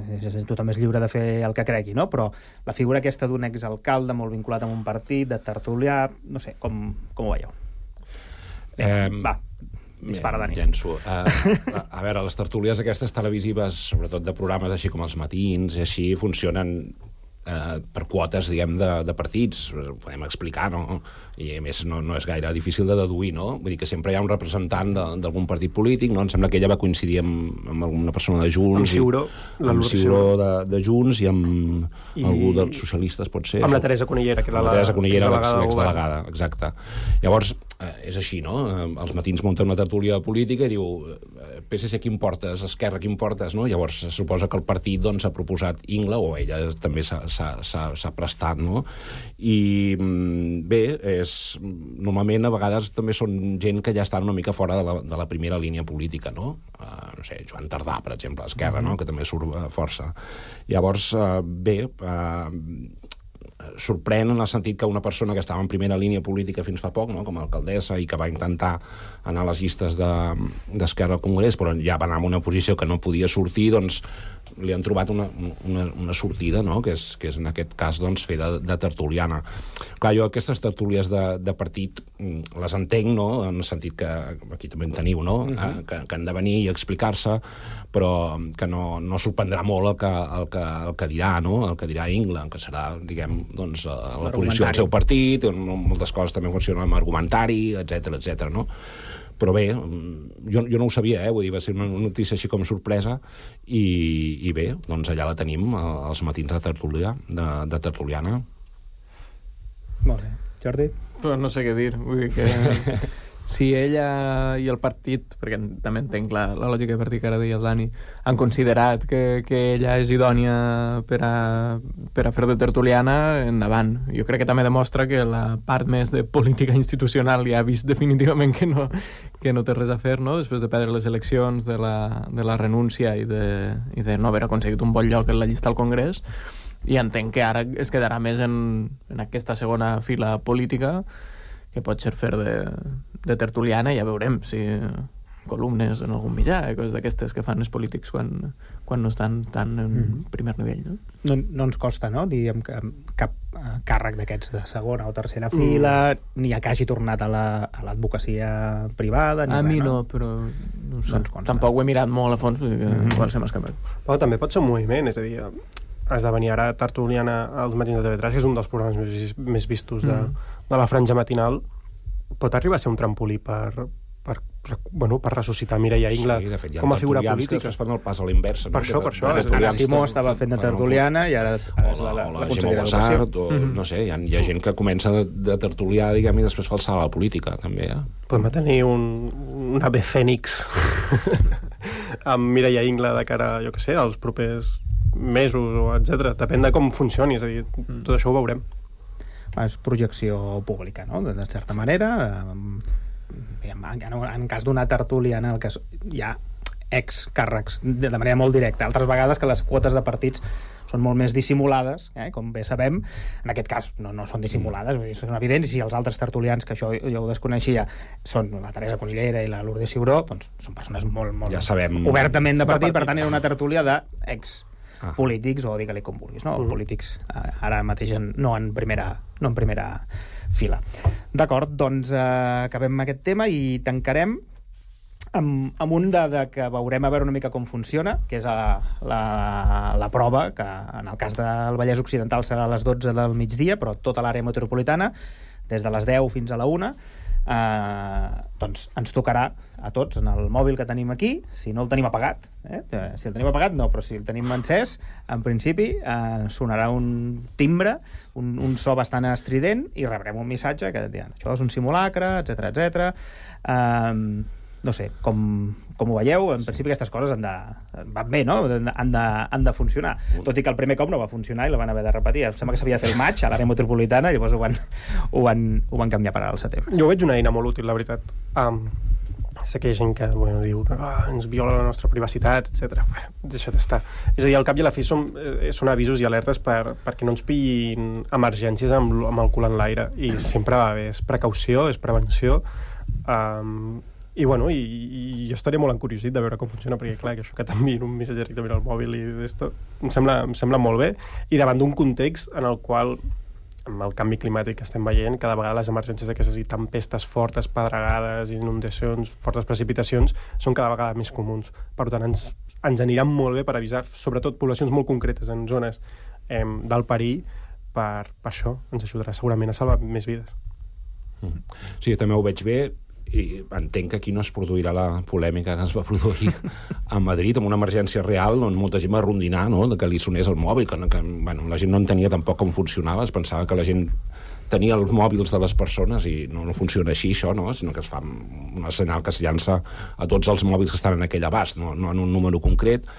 Tothom és lliure de fer el que cregui, no? Però la figura aquesta d'un exalcalde molt vinculat amb un partit, de tertulià, no sé, com ho veieu? Va, dispara, Dani. Llenço. A veure, les tertúlies aquestes televisives, sobretot de programes així com els matins, i així, funcionen per quotes, diguem, de partits. Ho podem explicar, no? I a més no és gaire difícil de deduir, no? Vull dir que sempre hi ha un representant d'algun partit polític, no? Em sembla que ella va coincidir amb alguna persona de Junts. Amb Ciuró de Junts i amb algú dels socialistes, pot ser. Amb la Teresa Conillera, que era l'exdelegada, exacte. Llavors, és així, no? Els matins munta una tertúlia política i diu PSC qui em portes, Esquerra qui em portes, no? Llavors se suposa que el partit doncs, ha proposat Ingla, o ella també s'ha prestat, no? I bé, normalment a vegades també són gent que ja estan una mica fora de la primera línia política, no? No sé, Joan Tardà, per exemple, a Esquerra, no? Que també surt força. Llavors, bé, sorprèn en el sentit que una persona que estava en primera línia política fins fa poc, no? Com a alcaldessa, i que va intentar anar a les llistes d'Esquerra al Congrés, però ja va anar en una posició que no podia sortir, doncs li han trobat una sortida, no? Que és en aquest cas doncs, fer de tertuliana. Clar, jo aquestes tertúlies de partit les entenc, no? En el sentit que aquí també en teniu, no? Que han de venir i explicar-se, però que no sorprendrà molt el que dirà, no? El que dirà Ingla, que serà, diguem, doncs, la posició del seu partit, moltes coses també funcionen amb argumentari, etc, no? Però bé, jo no ho sabia, vull dir, va ser una notícia així com sorpresa, i bé, doncs allà la tenim, als matins de tertuliana. Molt bé. Jordi? Pues no sé què dir, vull dir que si ella i el partit, perquè també entenc la lògica de partit que ara deia el Dani, han considerat que ella és idònia per a fer de tertuliana, endavant. Jo crec que també demostra que la part més de política institucional ja ha vist definitivament que no té res a fer, no? Després de perdre les eleccions, de la renúncia i de no haver aconseguit un bon lloc en la llista al Congrés, i entenc que ara es quedarà més en aquesta segona fila política, que pot ser fer de tertuliana, i ja veurem si columnes en algun mitjà, coses d'aquestes que fan els polítics quan no estan tan en primer nivell, no? No ens costa, no?, diguem, cap càrrec d'aquests de segona o tercera fila, ni que hagi tornat a l'advocacia privada. A mi no, però no sé. Tampoc ho he mirat molt a fons, vull dir que igual se m'ha escapat. Però també pot ser un moviment, és a dir, esdevenir ara tertuliana als matins de TV3, que és un dels programes més vistos de la franja matinal, pot arribar a ser un trampolí per ressuscitar Mireia Ingla com a figura política. Que es fan el pas a l'inversa. Per això. Ana Simó estava fent de tertuliana i ara és la consellera d'Educació. No sé, hi ha gent que comença de tertulià, diguem, i després fa el salt a la política, també. Podem tenir un ave fènix amb Mireia Ingla de cara, jo què sé, als propers mesos, etc. Depèn de com funcioni, és a dir, tot això ho veurem. És projecció pública, no?, de certa manera. En cas d'una tertúlia en el que hi ha excàrrecs de manera molt directa, altres vegades que les quotes de partits són molt més dissimulades, com bé sabem. En aquest cas no són dissimulades, són evidents, i si els altres tertulians, que això jo ho desconeixia, són la Teresa Conillera i la Lourdes Ciuró, doncs són persones molt obertament de partit, per tant era una tertúlia d'ex polítics, o digue-li com vulguis, no? Polítics ara mateix no en primera fila. D'acord, doncs acabem aquest tema i tancarem amb un que veurem a veure una mica com funciona, que és la prova, que en el cas del Vallès Occidental serà a les 12 del migdia, però tota l'àrea metropolitana, des de les 10 fins a la 1, doncs ens tocarà a tots en el mòbil que tenim aquí, si no el tenim apagat, si el tenim apagat no, però si el tenim encès, en principi sonarà un timbre, un so bastant estrident, i rebrem un missatge que diran, això és un simulacre, etc. No sé, com ho veieu, en principi aquestes coses van bé, no? Han de funcionar. Tot i que el primer cop no va funcionar i la van haver de repetir. Em sembla que s'havia de fer el maig a l'àrea metropolitana, i llavors ho van canviar per al setembre. Jo veig una eina molt útil, la veritat. Sé que hi ha gent que diu que ens viola la nostra privacitat, etc. Deixa't estar. És a dir, al cap i a la fi són avisos i alertes perquè no ens pillin emergències amb el cul en l'aire, i sempre va bé, és precaució, és prevenció, i jo estaria molt encuriosit de veure com funciona, perquè clar, que això que t'enviïn un missatge directament al mòbil i d'esto em sembla molt bé, i davant d'un context en el qual, amb el canvi climàtic que estem veient, cada vegada les emergències aquestes i tempestes fortes, pedregades, inundacions, fortes precipitacions, són cada vegada més comuns. Per tant, ens aniran molt bé per avisar, sobretot poblacions molt concretes en zones del perill, per això ens ajudarà segurament a salvar més vides. Sí, també ho veig bé, i entenc que aquí no es produirà la polèmica que es va produir a Madrid amb una emergència real, on molta gent va rondinar, no?, de que li sonés el mòbil, que la gent no entenia tampoc com funcionava, es pensava que la gent tenir els mòbils de les persones, i no funciona així això, no? Sinó que es fa una senyal que es llança a tots els mòbils que estan en aquell abast, no en un número concret,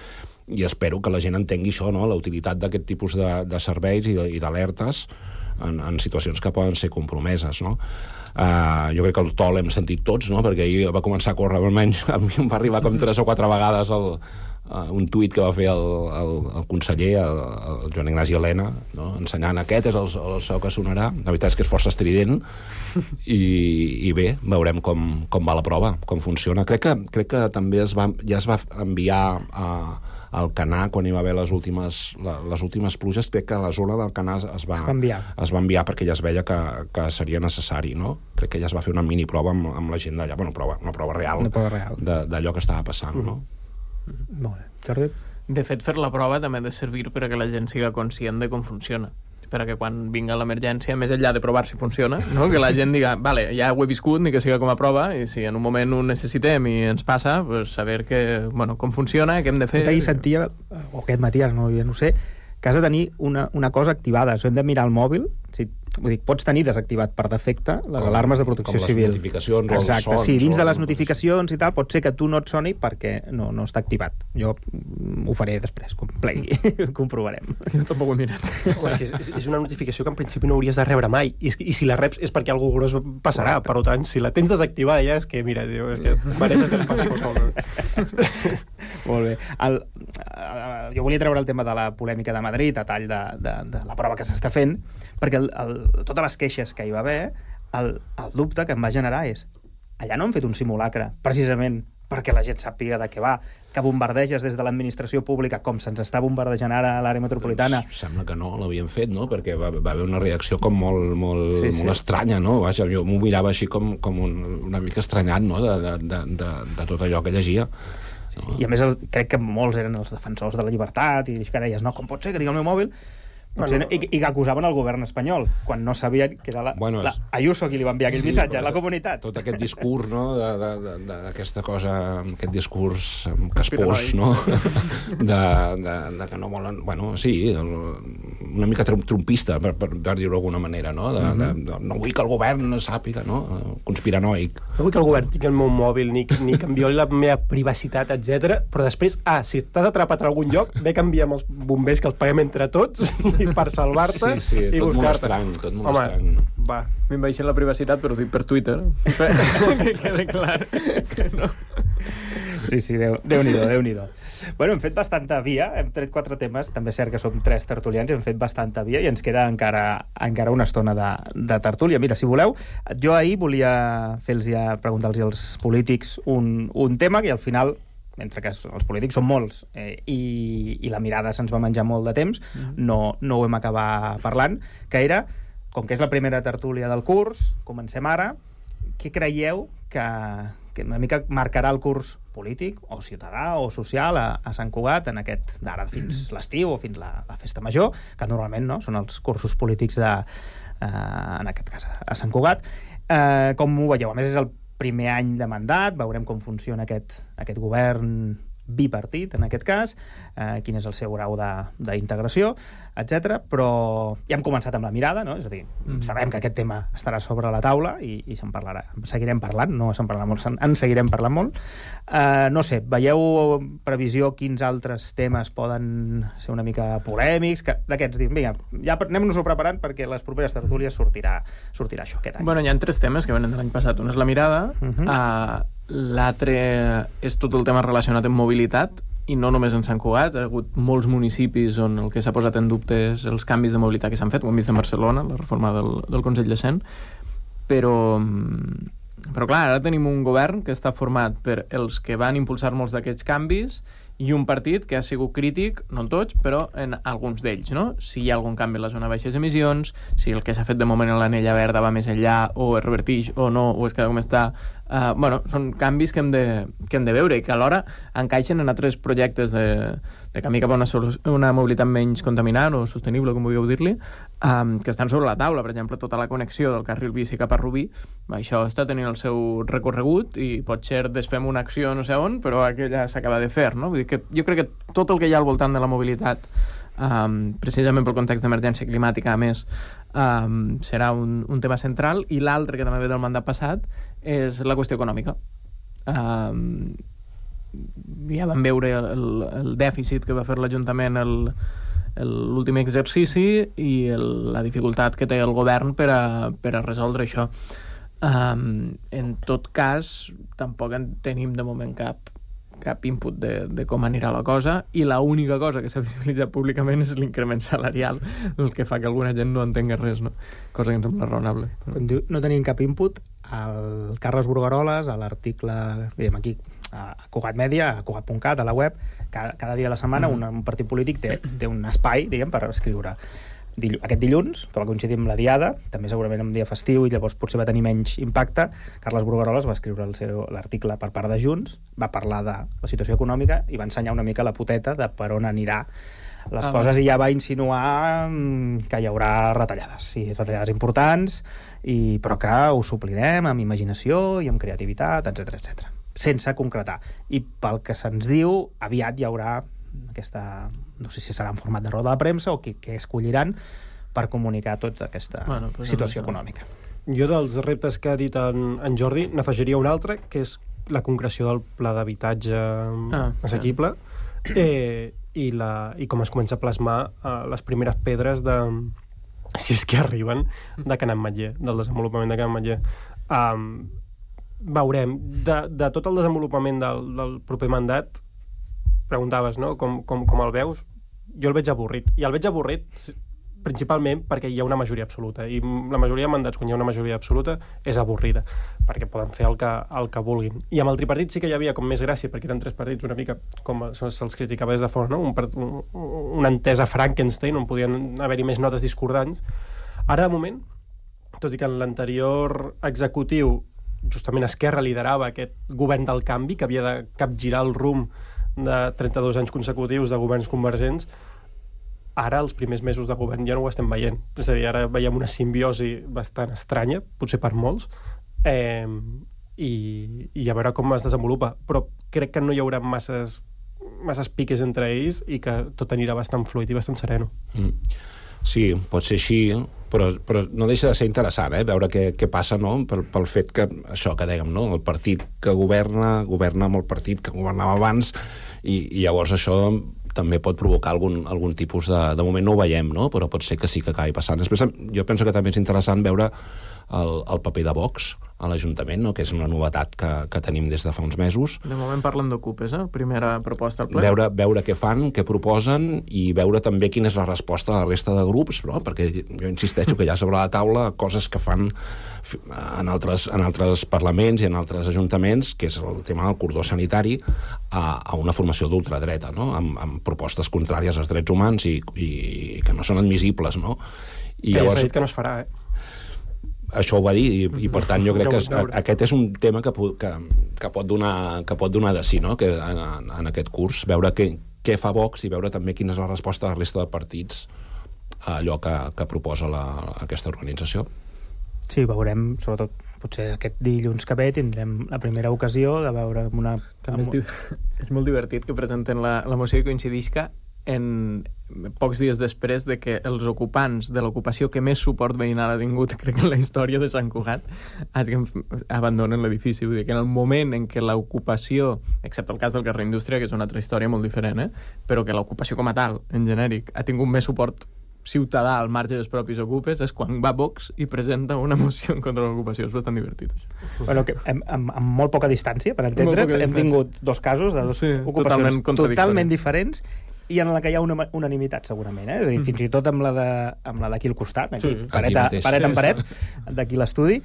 i espero que la gent entengui això, no? La utilitat d'aquest tipus de serveis i d'alertes en situacions que poden ser compromeses, no? Jo crec que el to l'hem sentit tots, no? Perquè ahir va començar a córrer, almenys a mi em va arribar com 3 o 4 vegades un tuit que va fer el conseller, el Joan Ignasi Elena, no? Ensenyant aquest és el so que sonarà. La veritat és que és força estrident i bé, veurem com va la prova, com funciona. Crec que també ja es va enviar al Canà, quan hi va haver les últimes pluges, crec que a la zona del Canà es va enviar perquè ja es veia que seria necessari, no? Crec que ja es va fer una mini prova amb la gent d'allà, una prova real d'allò que estava passant, no? Molt bé. Jordi? De fet, fer la prova també ha de servir perquè la gent siga conscient de com funciona, perquè quan vinga l'emergència, més enllà de provar si funciona, no? Que la gent diga, vale, ja ho he viscut, ni que siga com a prova, i si en un moment ho necessitem i ens passa, pues saber com funciona, què hem de fer... Ahir sentia, o aquest matí, ja no ho sé, que has de tenir una cosa activada. Hem de mirar el mòbil, vull dir, pots tenir desactivat per defecte les alarmes de protecció civil. Com les notificacions o els Exacte, sons. sí, dins de les notificacions i tal, pot ser que tu no et soni perquè no està activat. Jo ho faré després, quan plegui, comprovarem. Jo tampoc ho he mirat. És una notificació que en principi no hauries de rebre mai, i si la reps és perquè algú gros passarà. Per tant, si la tens desactivada ja és que, mira, és que mereixes que et passi qualsevol. Molt bé. Jo volia treure el tema de la polèmica de Madrid a tall de la prova que s'està fent, perquè totes les queixes que hi va haver, el dubte que em va generar és, allà no han fet un simulacre precisament perquè la gent sàpiga de què va, que bombardeges des de l'administració pública com se'ns està bombardejant ara a l'àrea metropolitana. Sembla que no l'havien fet, no? Perquè va haver una reacció com molt estranya, no? Vaja, jo m'ho mirava així com una mica estranyat, no? De tot allò que llegia. No? I a més crec que molts eren els defensors de la llibertat i que deies, no, com pot ser que digui el meu mòbil? I que acusaven el govern espanyol quan no sabien que era Ayuso qui li va enviar aquell missatge a la comunitat. Tot aquest discurs, no? D'aquesta cosa, aquest discurs caspós, no? De que no volen... Bueno, sí, una mica trumpista, per dir-ho d'alguna manera, no? No vull que el govern sàpiga, no? Conspiranoic. No vull que el govern tingui el meu mòbil ni que em violi la meva privacitat, etc. Però després, si t'has atrapat a algun lloc, ve que enviem els bombers, que els paguem entre tots, per salvar-te i buscar-te. Tot molt estrany. Va. M'envaixen la privacitat, però ho dic per Twitter. Que quede clar que no. Sí, Déu-n'hi-do. Bueno, hem fet bastanta via, hem tret 4 temes, també és cert que som 3 tertulians, hem fet bastanta via i ens queda encara una estona de tertúlia. Mira, si voleu, jo ahir volia preguntar-los als polítics un tema que al final, mentre que els polítics són molts i la mirada se'ns va menjar molt de temps, no ho hem acabat parlant, que era, com que és la primera tertúlia del curs, comencem ara, què creieu que una mica marcarà el curs polític o ciutadà o social a Sant Cugat en aquest d'ara fins l'estiu o fins la festa major, que normalment no, són els cursos polítics en aquest cas a Sant Cugat. Com ho veieu? A més, és el primer any de mandat, veurem com funciona aquest govern bipartit, en aquest cas, quin és el seu grau d'integració, etc. Però ja hem començat amb la mirada, no? És a dir, sabem que aquest tema estarà sobre la taula i se'n parlarà. Seguirem parlant, no se'n parlarà molt, en seguirem parlant molt. No sé, veieu previsió quins altres temes poden ser una mica polèmics? D'aquests, vinga, ja anem-nos-ho preparant perquè les properes tertúlies sortirà això aquest any. Bueno, hi ha 3 temes que venen de l'any passat. Un és la mirada, l'altre és tot el tema relacionat amb mobilitat, i no només en Sant Cugat, ha hagut molts municipis on el que s'ha posat en dubte és els canvis de mobilitat que s'han fet, ho hem vist a Barcelona, la reforma del Consell de Cent, però clar, ara tenim un govern que està format per els que van impulsar molts d'aquests canvis i un partit que ha sigut crític, no en tots, però en alguns d'ells, no? Si hi ha algun canvi a la zona de baixes emissions, si el que s'ha fet de moment en l'anella verda va més enllà, o es revertix o no, o es queda com està. Són canvis que hem de veure i que alhora encaixen en altres projectes de camí cap a una mobilitat menys contaminant o sostenible, com vulgueu dir-li, que estan sobre la taula. Per exemple, tota la connexió del carril bici cap a Rubí, això està tenint el seu recorregut i potser desfem una acció no sé on, però aquella s'acaba de fer, no? Vull dir que jo crec que tot el que hi ha al voltant de la mobilitat precisament pel context d'emergència climàtica, a més, serà un tema central. I l'altre, que també ve del mandat passat, és la qüestió econòmica. Ja vam veure el dèficit que va fer l'Ajuntament l'últim exercici i la dificultat que té el govern per a resoldre això. En tot cas, tampoc en tenim de moment cap input de com anirà la cosa, i l'única cosa que s'ha visibilitzat públicament és l'increment salarial, el que fa que alguna gent no entengui res, no? Cosa que em sembla raonable. Quan diu no tenim cap input, el Carles Burgaroles, a l'article, diguem aquí, a Cugat Media, a Cugat.cat, a la web, cada dia de la setmana un partit polític té un espai, diguem, per escriure. Aquest dilluns, que va coincidir amb la Diada, també segurament un dia festiu i llavors potser va tenir menys impacte, Carles Burgaroles va escriure l'article per part de Junts, va parlar de la situació econòmica i va ensenyar una mica la poteta de per on anirà les coses, i ja va insinuar que hi haurà retallades, sí, retallades importants, però que ho suplirem amb imaginació i amb creativitat, etc, sense concretar. I pel que se'ns diu, aviat hi haurà aquesta, no sé si serà en format de roda de premsa o què escolliran per comunicar tota aquesta situació econòmica. Jo dels reptes que ha dit en Jordi n'afegiria un altre, que és la concreció del pla d'habitatge assequible i com es comença a plasmar les primeres pedres de, si és que arriben, de Can Ametller, del desenvolupament de Can Ametller. Veurem, de tot el desenvolupament del proper mandat, preguntaves, no?, com el veus? Jo el veig avorrit. I el veig avorrit principalment perquè hi ha una majoria absoluta. I la majoria de mandats, quan hi ha una majoria absoluta, és avorrida, perquè poden fer el que vulguin. I amb el tripartit sí que hi havia com més gràcia, perquè eren tres partits una mica com se'ls criticava des de fora, no? Una entesa Frankenstein, on podien haver-hi més notes discordants. Ara, de moment, tot i que en l'anterior executiu justament Esquerra liderava aquest govern del canvi, que havia de capgirar el rumb de 32 anys consecutius de governs convergents, ara els primers mesos de govern ja no ho estem veient. És a dir, ara veiem una simbiosi bastant estranya, potser per molts, i a veure com es desenvolupa. Però crec que no hi haurà masses piques entre ells i que tot anirà bastant fluid i bastant sereno. Sí, pot ser així, però no deixa de ser interessant, veure què passa, no?, pel fet que, això que dèiem, no?, el partit que governa amb el partit que governava abans, i llavors això també pot provocar algun tipus de moment no ho veiem, no?, però pot ser que sí que acabi passant. Després jo penso que també és interessant veure el paper de Vox a l'Ajuntament, no?, que és una novetat que tenim des de fa uns mesos. De moment parlen d'Ocupes, primera proposta al ple. Veure què fan, què proposen, i veure també quina és la resposta de la resta de grups, no?, perquè jo insisteixo que hi ha sobre la taula coses que fan en altres parlaments i en altres ajuntaments, que és el tema del cordó sanitari a una formació d'ultradreta, no?, amb propostes contràries als drets humans i que no són admissibles, no? I llavors s'ha dit que no es farà, Això ho va dir, i per tant jo crec que aquest és un tema que pot donar de sí, no?, que en aquest curs, veure què fa Vox i veure també quina és la resposta de la resta de partits a allò que proposa aquesta organització. Sí, veurem, sobretot potser aquest dilluns que ve tindrem la primera ocasió de veure una... També és molt divertit que presenten la moció i coincidisca en pocs dies després de que els ocupants de l'ocupació que més suport veïnal ha tingut, crec que en la història de Sant Cugat, abandonen l'edifici. Vull dir que en el moment en què l'ocupació, excepte el cas del carrer Indústria, que és una altra història molt diferent, però que l'ocupació com a tal, en genèric, ha tingut més suport ciutadà al marge dels propis ocupes, és quan va Vox i presenta una moció en contra de l'ocupació. És bastant divertit, això. Bueno, que amb molt poca distància, per entendre'ns, hem tingut dos casos de dos ocupacions totalment diferents, i en la que hi ha una unanimitat, segurament, És a dir, fins i tot amb la d'aquí al costat, aquí, paret en paret, d'aquí l'estudi,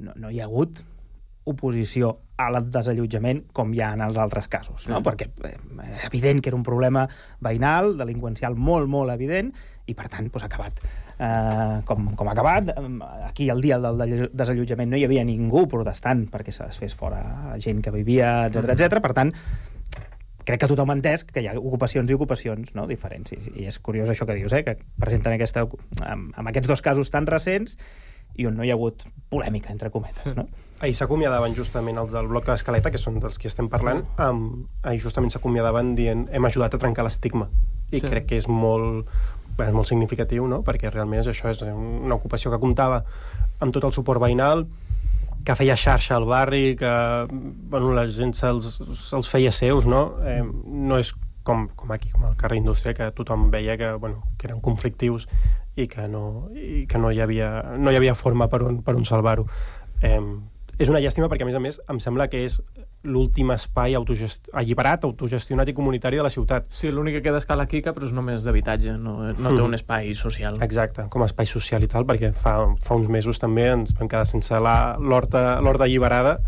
no hi ha hagut oposició al desallotjament com hi ha en els altres casos, no? Perquè és evident que era un problema veïnal, delinqüencial molt, molt evident, i per tant ha acabat com ha acabat. Aquí el dia del desallotjament no hi havia ningú protestant perquè se desfés fora gent que vivia, etc. Per tant, crec que tothom ha entès que hi ha ocupacions i ocupacions, no?, diferents. I és curiós això que dius, que presenten amb aquests dos casos tan recents i on no hi ha hagut polèmica, entre cometes, no? Ahir s'acomiadaven justament els del bloc Escaleta, que són dels que estem parlant, ahir justament s'acomiadaven dient hem ajudat a trencar l'estigma. i crec que és molt significatiu, no? Perquè realment això és una ocupació que comptava amb tot el suport veïnal, que feia xarxa al barri, que la gent se'ls feia seus, no? No és com aquí, com al carrer Indústria, que tothom veia que eren conflictius i que no hi havia forma per on salvar-ho. És una llàstima perquè, a més, em sembla que és l'últim espai alliberat, autogestionat i comunitari de la ciutat. Sí, l'únic que queda és Cala Quica, però és només d'habitatge, no té un espai social. Exacte, com a espai social i tal, perquè fa uns mesos també ens vam quedar sense l'horta alliberada,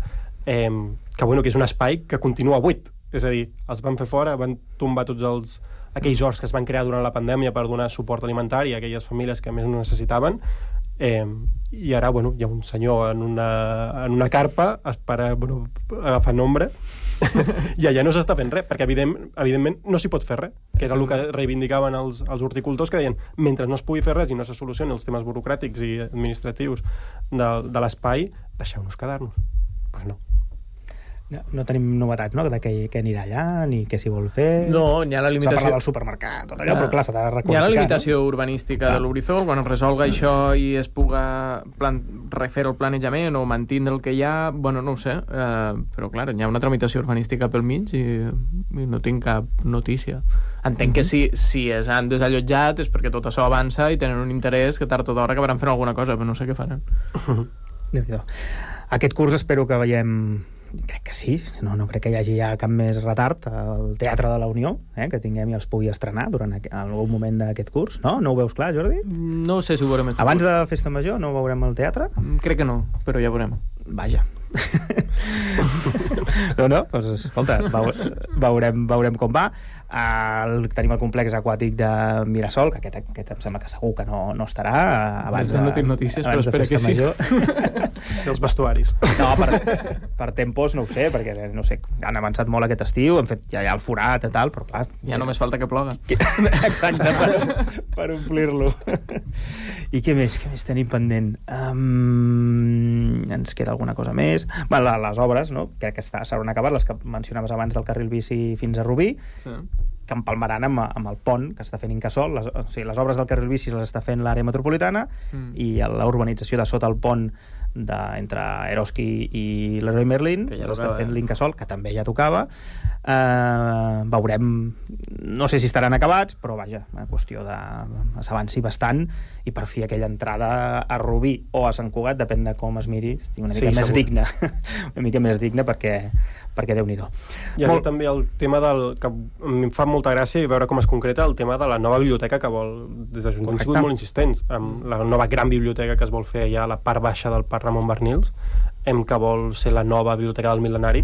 que és un espai que continua buit. És a dir, els van fer fora, van tombar tots aquells horts que es van crear durant la pandèmia per donar suport alimentari a aquelles famílies que més necessitaven, i ara hi ha un senyor en una carpa agafant ombra i allà no s'està fent res, perquè evidentment no s'hi pot fer res, que era el que reivindicaven els horticultors, que deien, mentre no es pugui fer res i no se solucionin els temes burocràtics i administratius de l'espai, deixeu-nos quedar-nos. Pues no. No tenim novetats, no?, de què anirà allà, ni què s'hi vol fer... No, hi ha la limitació... S'ha parlat del supermercat, tot allò, però clar, s'ha de requalificar. Hi ha la limitació urbanística de l'Horitzó, quan es resolga això i es puga refer el planejament o mantindre el que hi ha, no ho sé, però clar, hi ha una tramitació urbanística pel mig i no tinc cap notícia. Entenc que si es han desallotjat és perquè tot això avança i tenen un interès que tard o d'hora acabaran fent alguna cosa, però no sé què faran. Déu-n'hi-do. Aquest curs espero que veiem... Crec que sí, no crec que hi hagi cap més retard al Teatre de la Unió, que tinguem i els pugui estrenar durant algun moment d'aquest curs, no? No ho veus clar, Jordi? No sé si ho veurem. Abans de Festa Major no veurem el teatre? Crec que no, però ja veurem. Vaja. Doncs escolta, veurem com va. Tenim el complex aquàtic de Mirasol, que aquest em sembla que segur que no estarà abans de... No tinc notícies, però espero que sí. Sí, els vestuaris. No, per tempos no ho sé, perquè no sé, han avançat molt aquest estiu, hem fet ja el forat i tal, però clar... Ja només falta que ploga. Exacte, per omplir-lo. I què més tenim pendent? Ens queda alguna cosa més? Les obres, no? Crec que s'hauran acabat, les que mencionaves abans del carril bici fins a Rubí, que empalmaran amb el pont que està fent Incasòl. Les obres del carril bici les està fent l'àrea metropolitana i la urbanització de sota el pont entre Eroski i Leroy Merlin, que ja està fent l'Incasòl, que també ja tocava. Veurem, no sé si estaran acabats, però vaja, una qüestió de s'avanci bastant i per fi aquella entrada a Rubí o a Sant Cugat, depèn de com es miri, una mica més digna, una mica més digna perquè Déu-n'hi-do. I aquí també el tema que em fa molta gràcia i veure com es concreta el tema de la nova biblioteca que vol, des de Junts han sigut molt insistents, amb la nova gran biblioteca que es vol fer allà a la part baixa del Parc Ramon Barnils, que vol ser la nova biblioteca del Mil·lenari,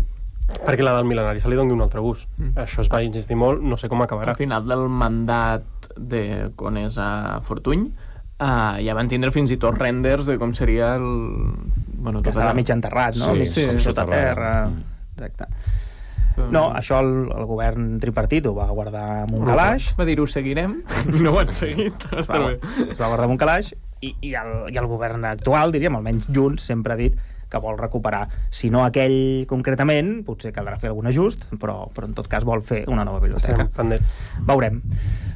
perquè la del Mil·lenari se li doni un altre gust. Això es va insistir molt, no sé com acabarà. Al final del mandat de Conés a Fortuny ja van tindre fins i tot renders de com seria el... que estava mig enterrat, no? Sí, sota terra. Exacte. No, això el govern tripartit ho va guardar amb un calaix. Va dir, ho seguirem, i no ho han seguit. Es va guardar amb un calaix i el govern actual, diríem, almenys Junts, sempre ha dit que vol recuperar, si no aquell concretament, potser caldrà fer algun ajust, però en tot cas vol fer una nova biblioteca. Veurem.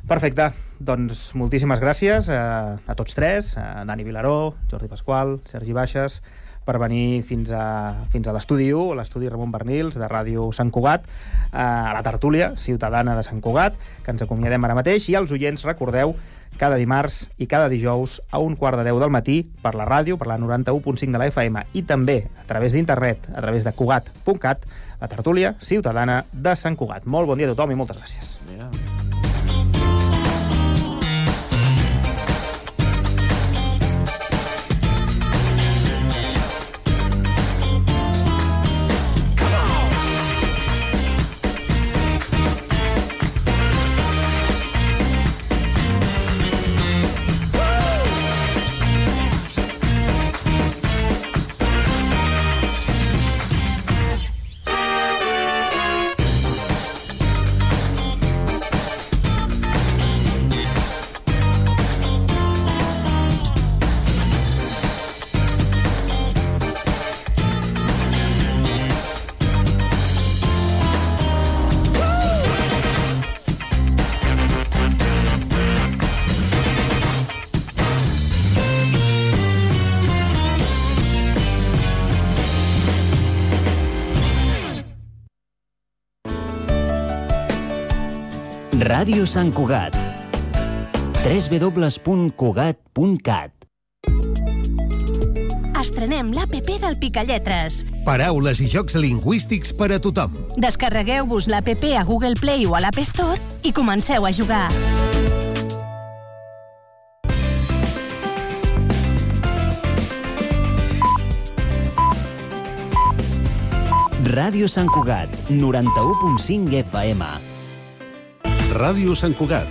Perfecte, doncs moltíssimes gràcies a tots tres, a Dani Vilaró, Jordi Pasqual, Sergi Baixes, per venir fins a l'estudi 1, l'estudi Ramon Barnils, de Ràdio Sant Cugat, a la tertúlia ciutadana de Sant Cugat, que ens acomiadem ara mateix, i als oients, recordeu, cada dimarts i cada dijous a 1:15 del matí per la ràdio, per la 91.5 de la FM i també a través d'internet, a través de cugat.cat, la tertúlia ciutadana de Sant Cugat. Molt bon dia a tothom i moltes gràcies. Ràdio Sant Cugat. www.cugat.cat. Estrenem l'APP del Picalletres. Paraules i jocs lingüístics per a tothom. Descarregueu-vos l'APP a Google Play o a l'App Store i comenceu a jugar. Ràdio Sant Cugat, 91.5 FM. Ràdio Sant Cugat,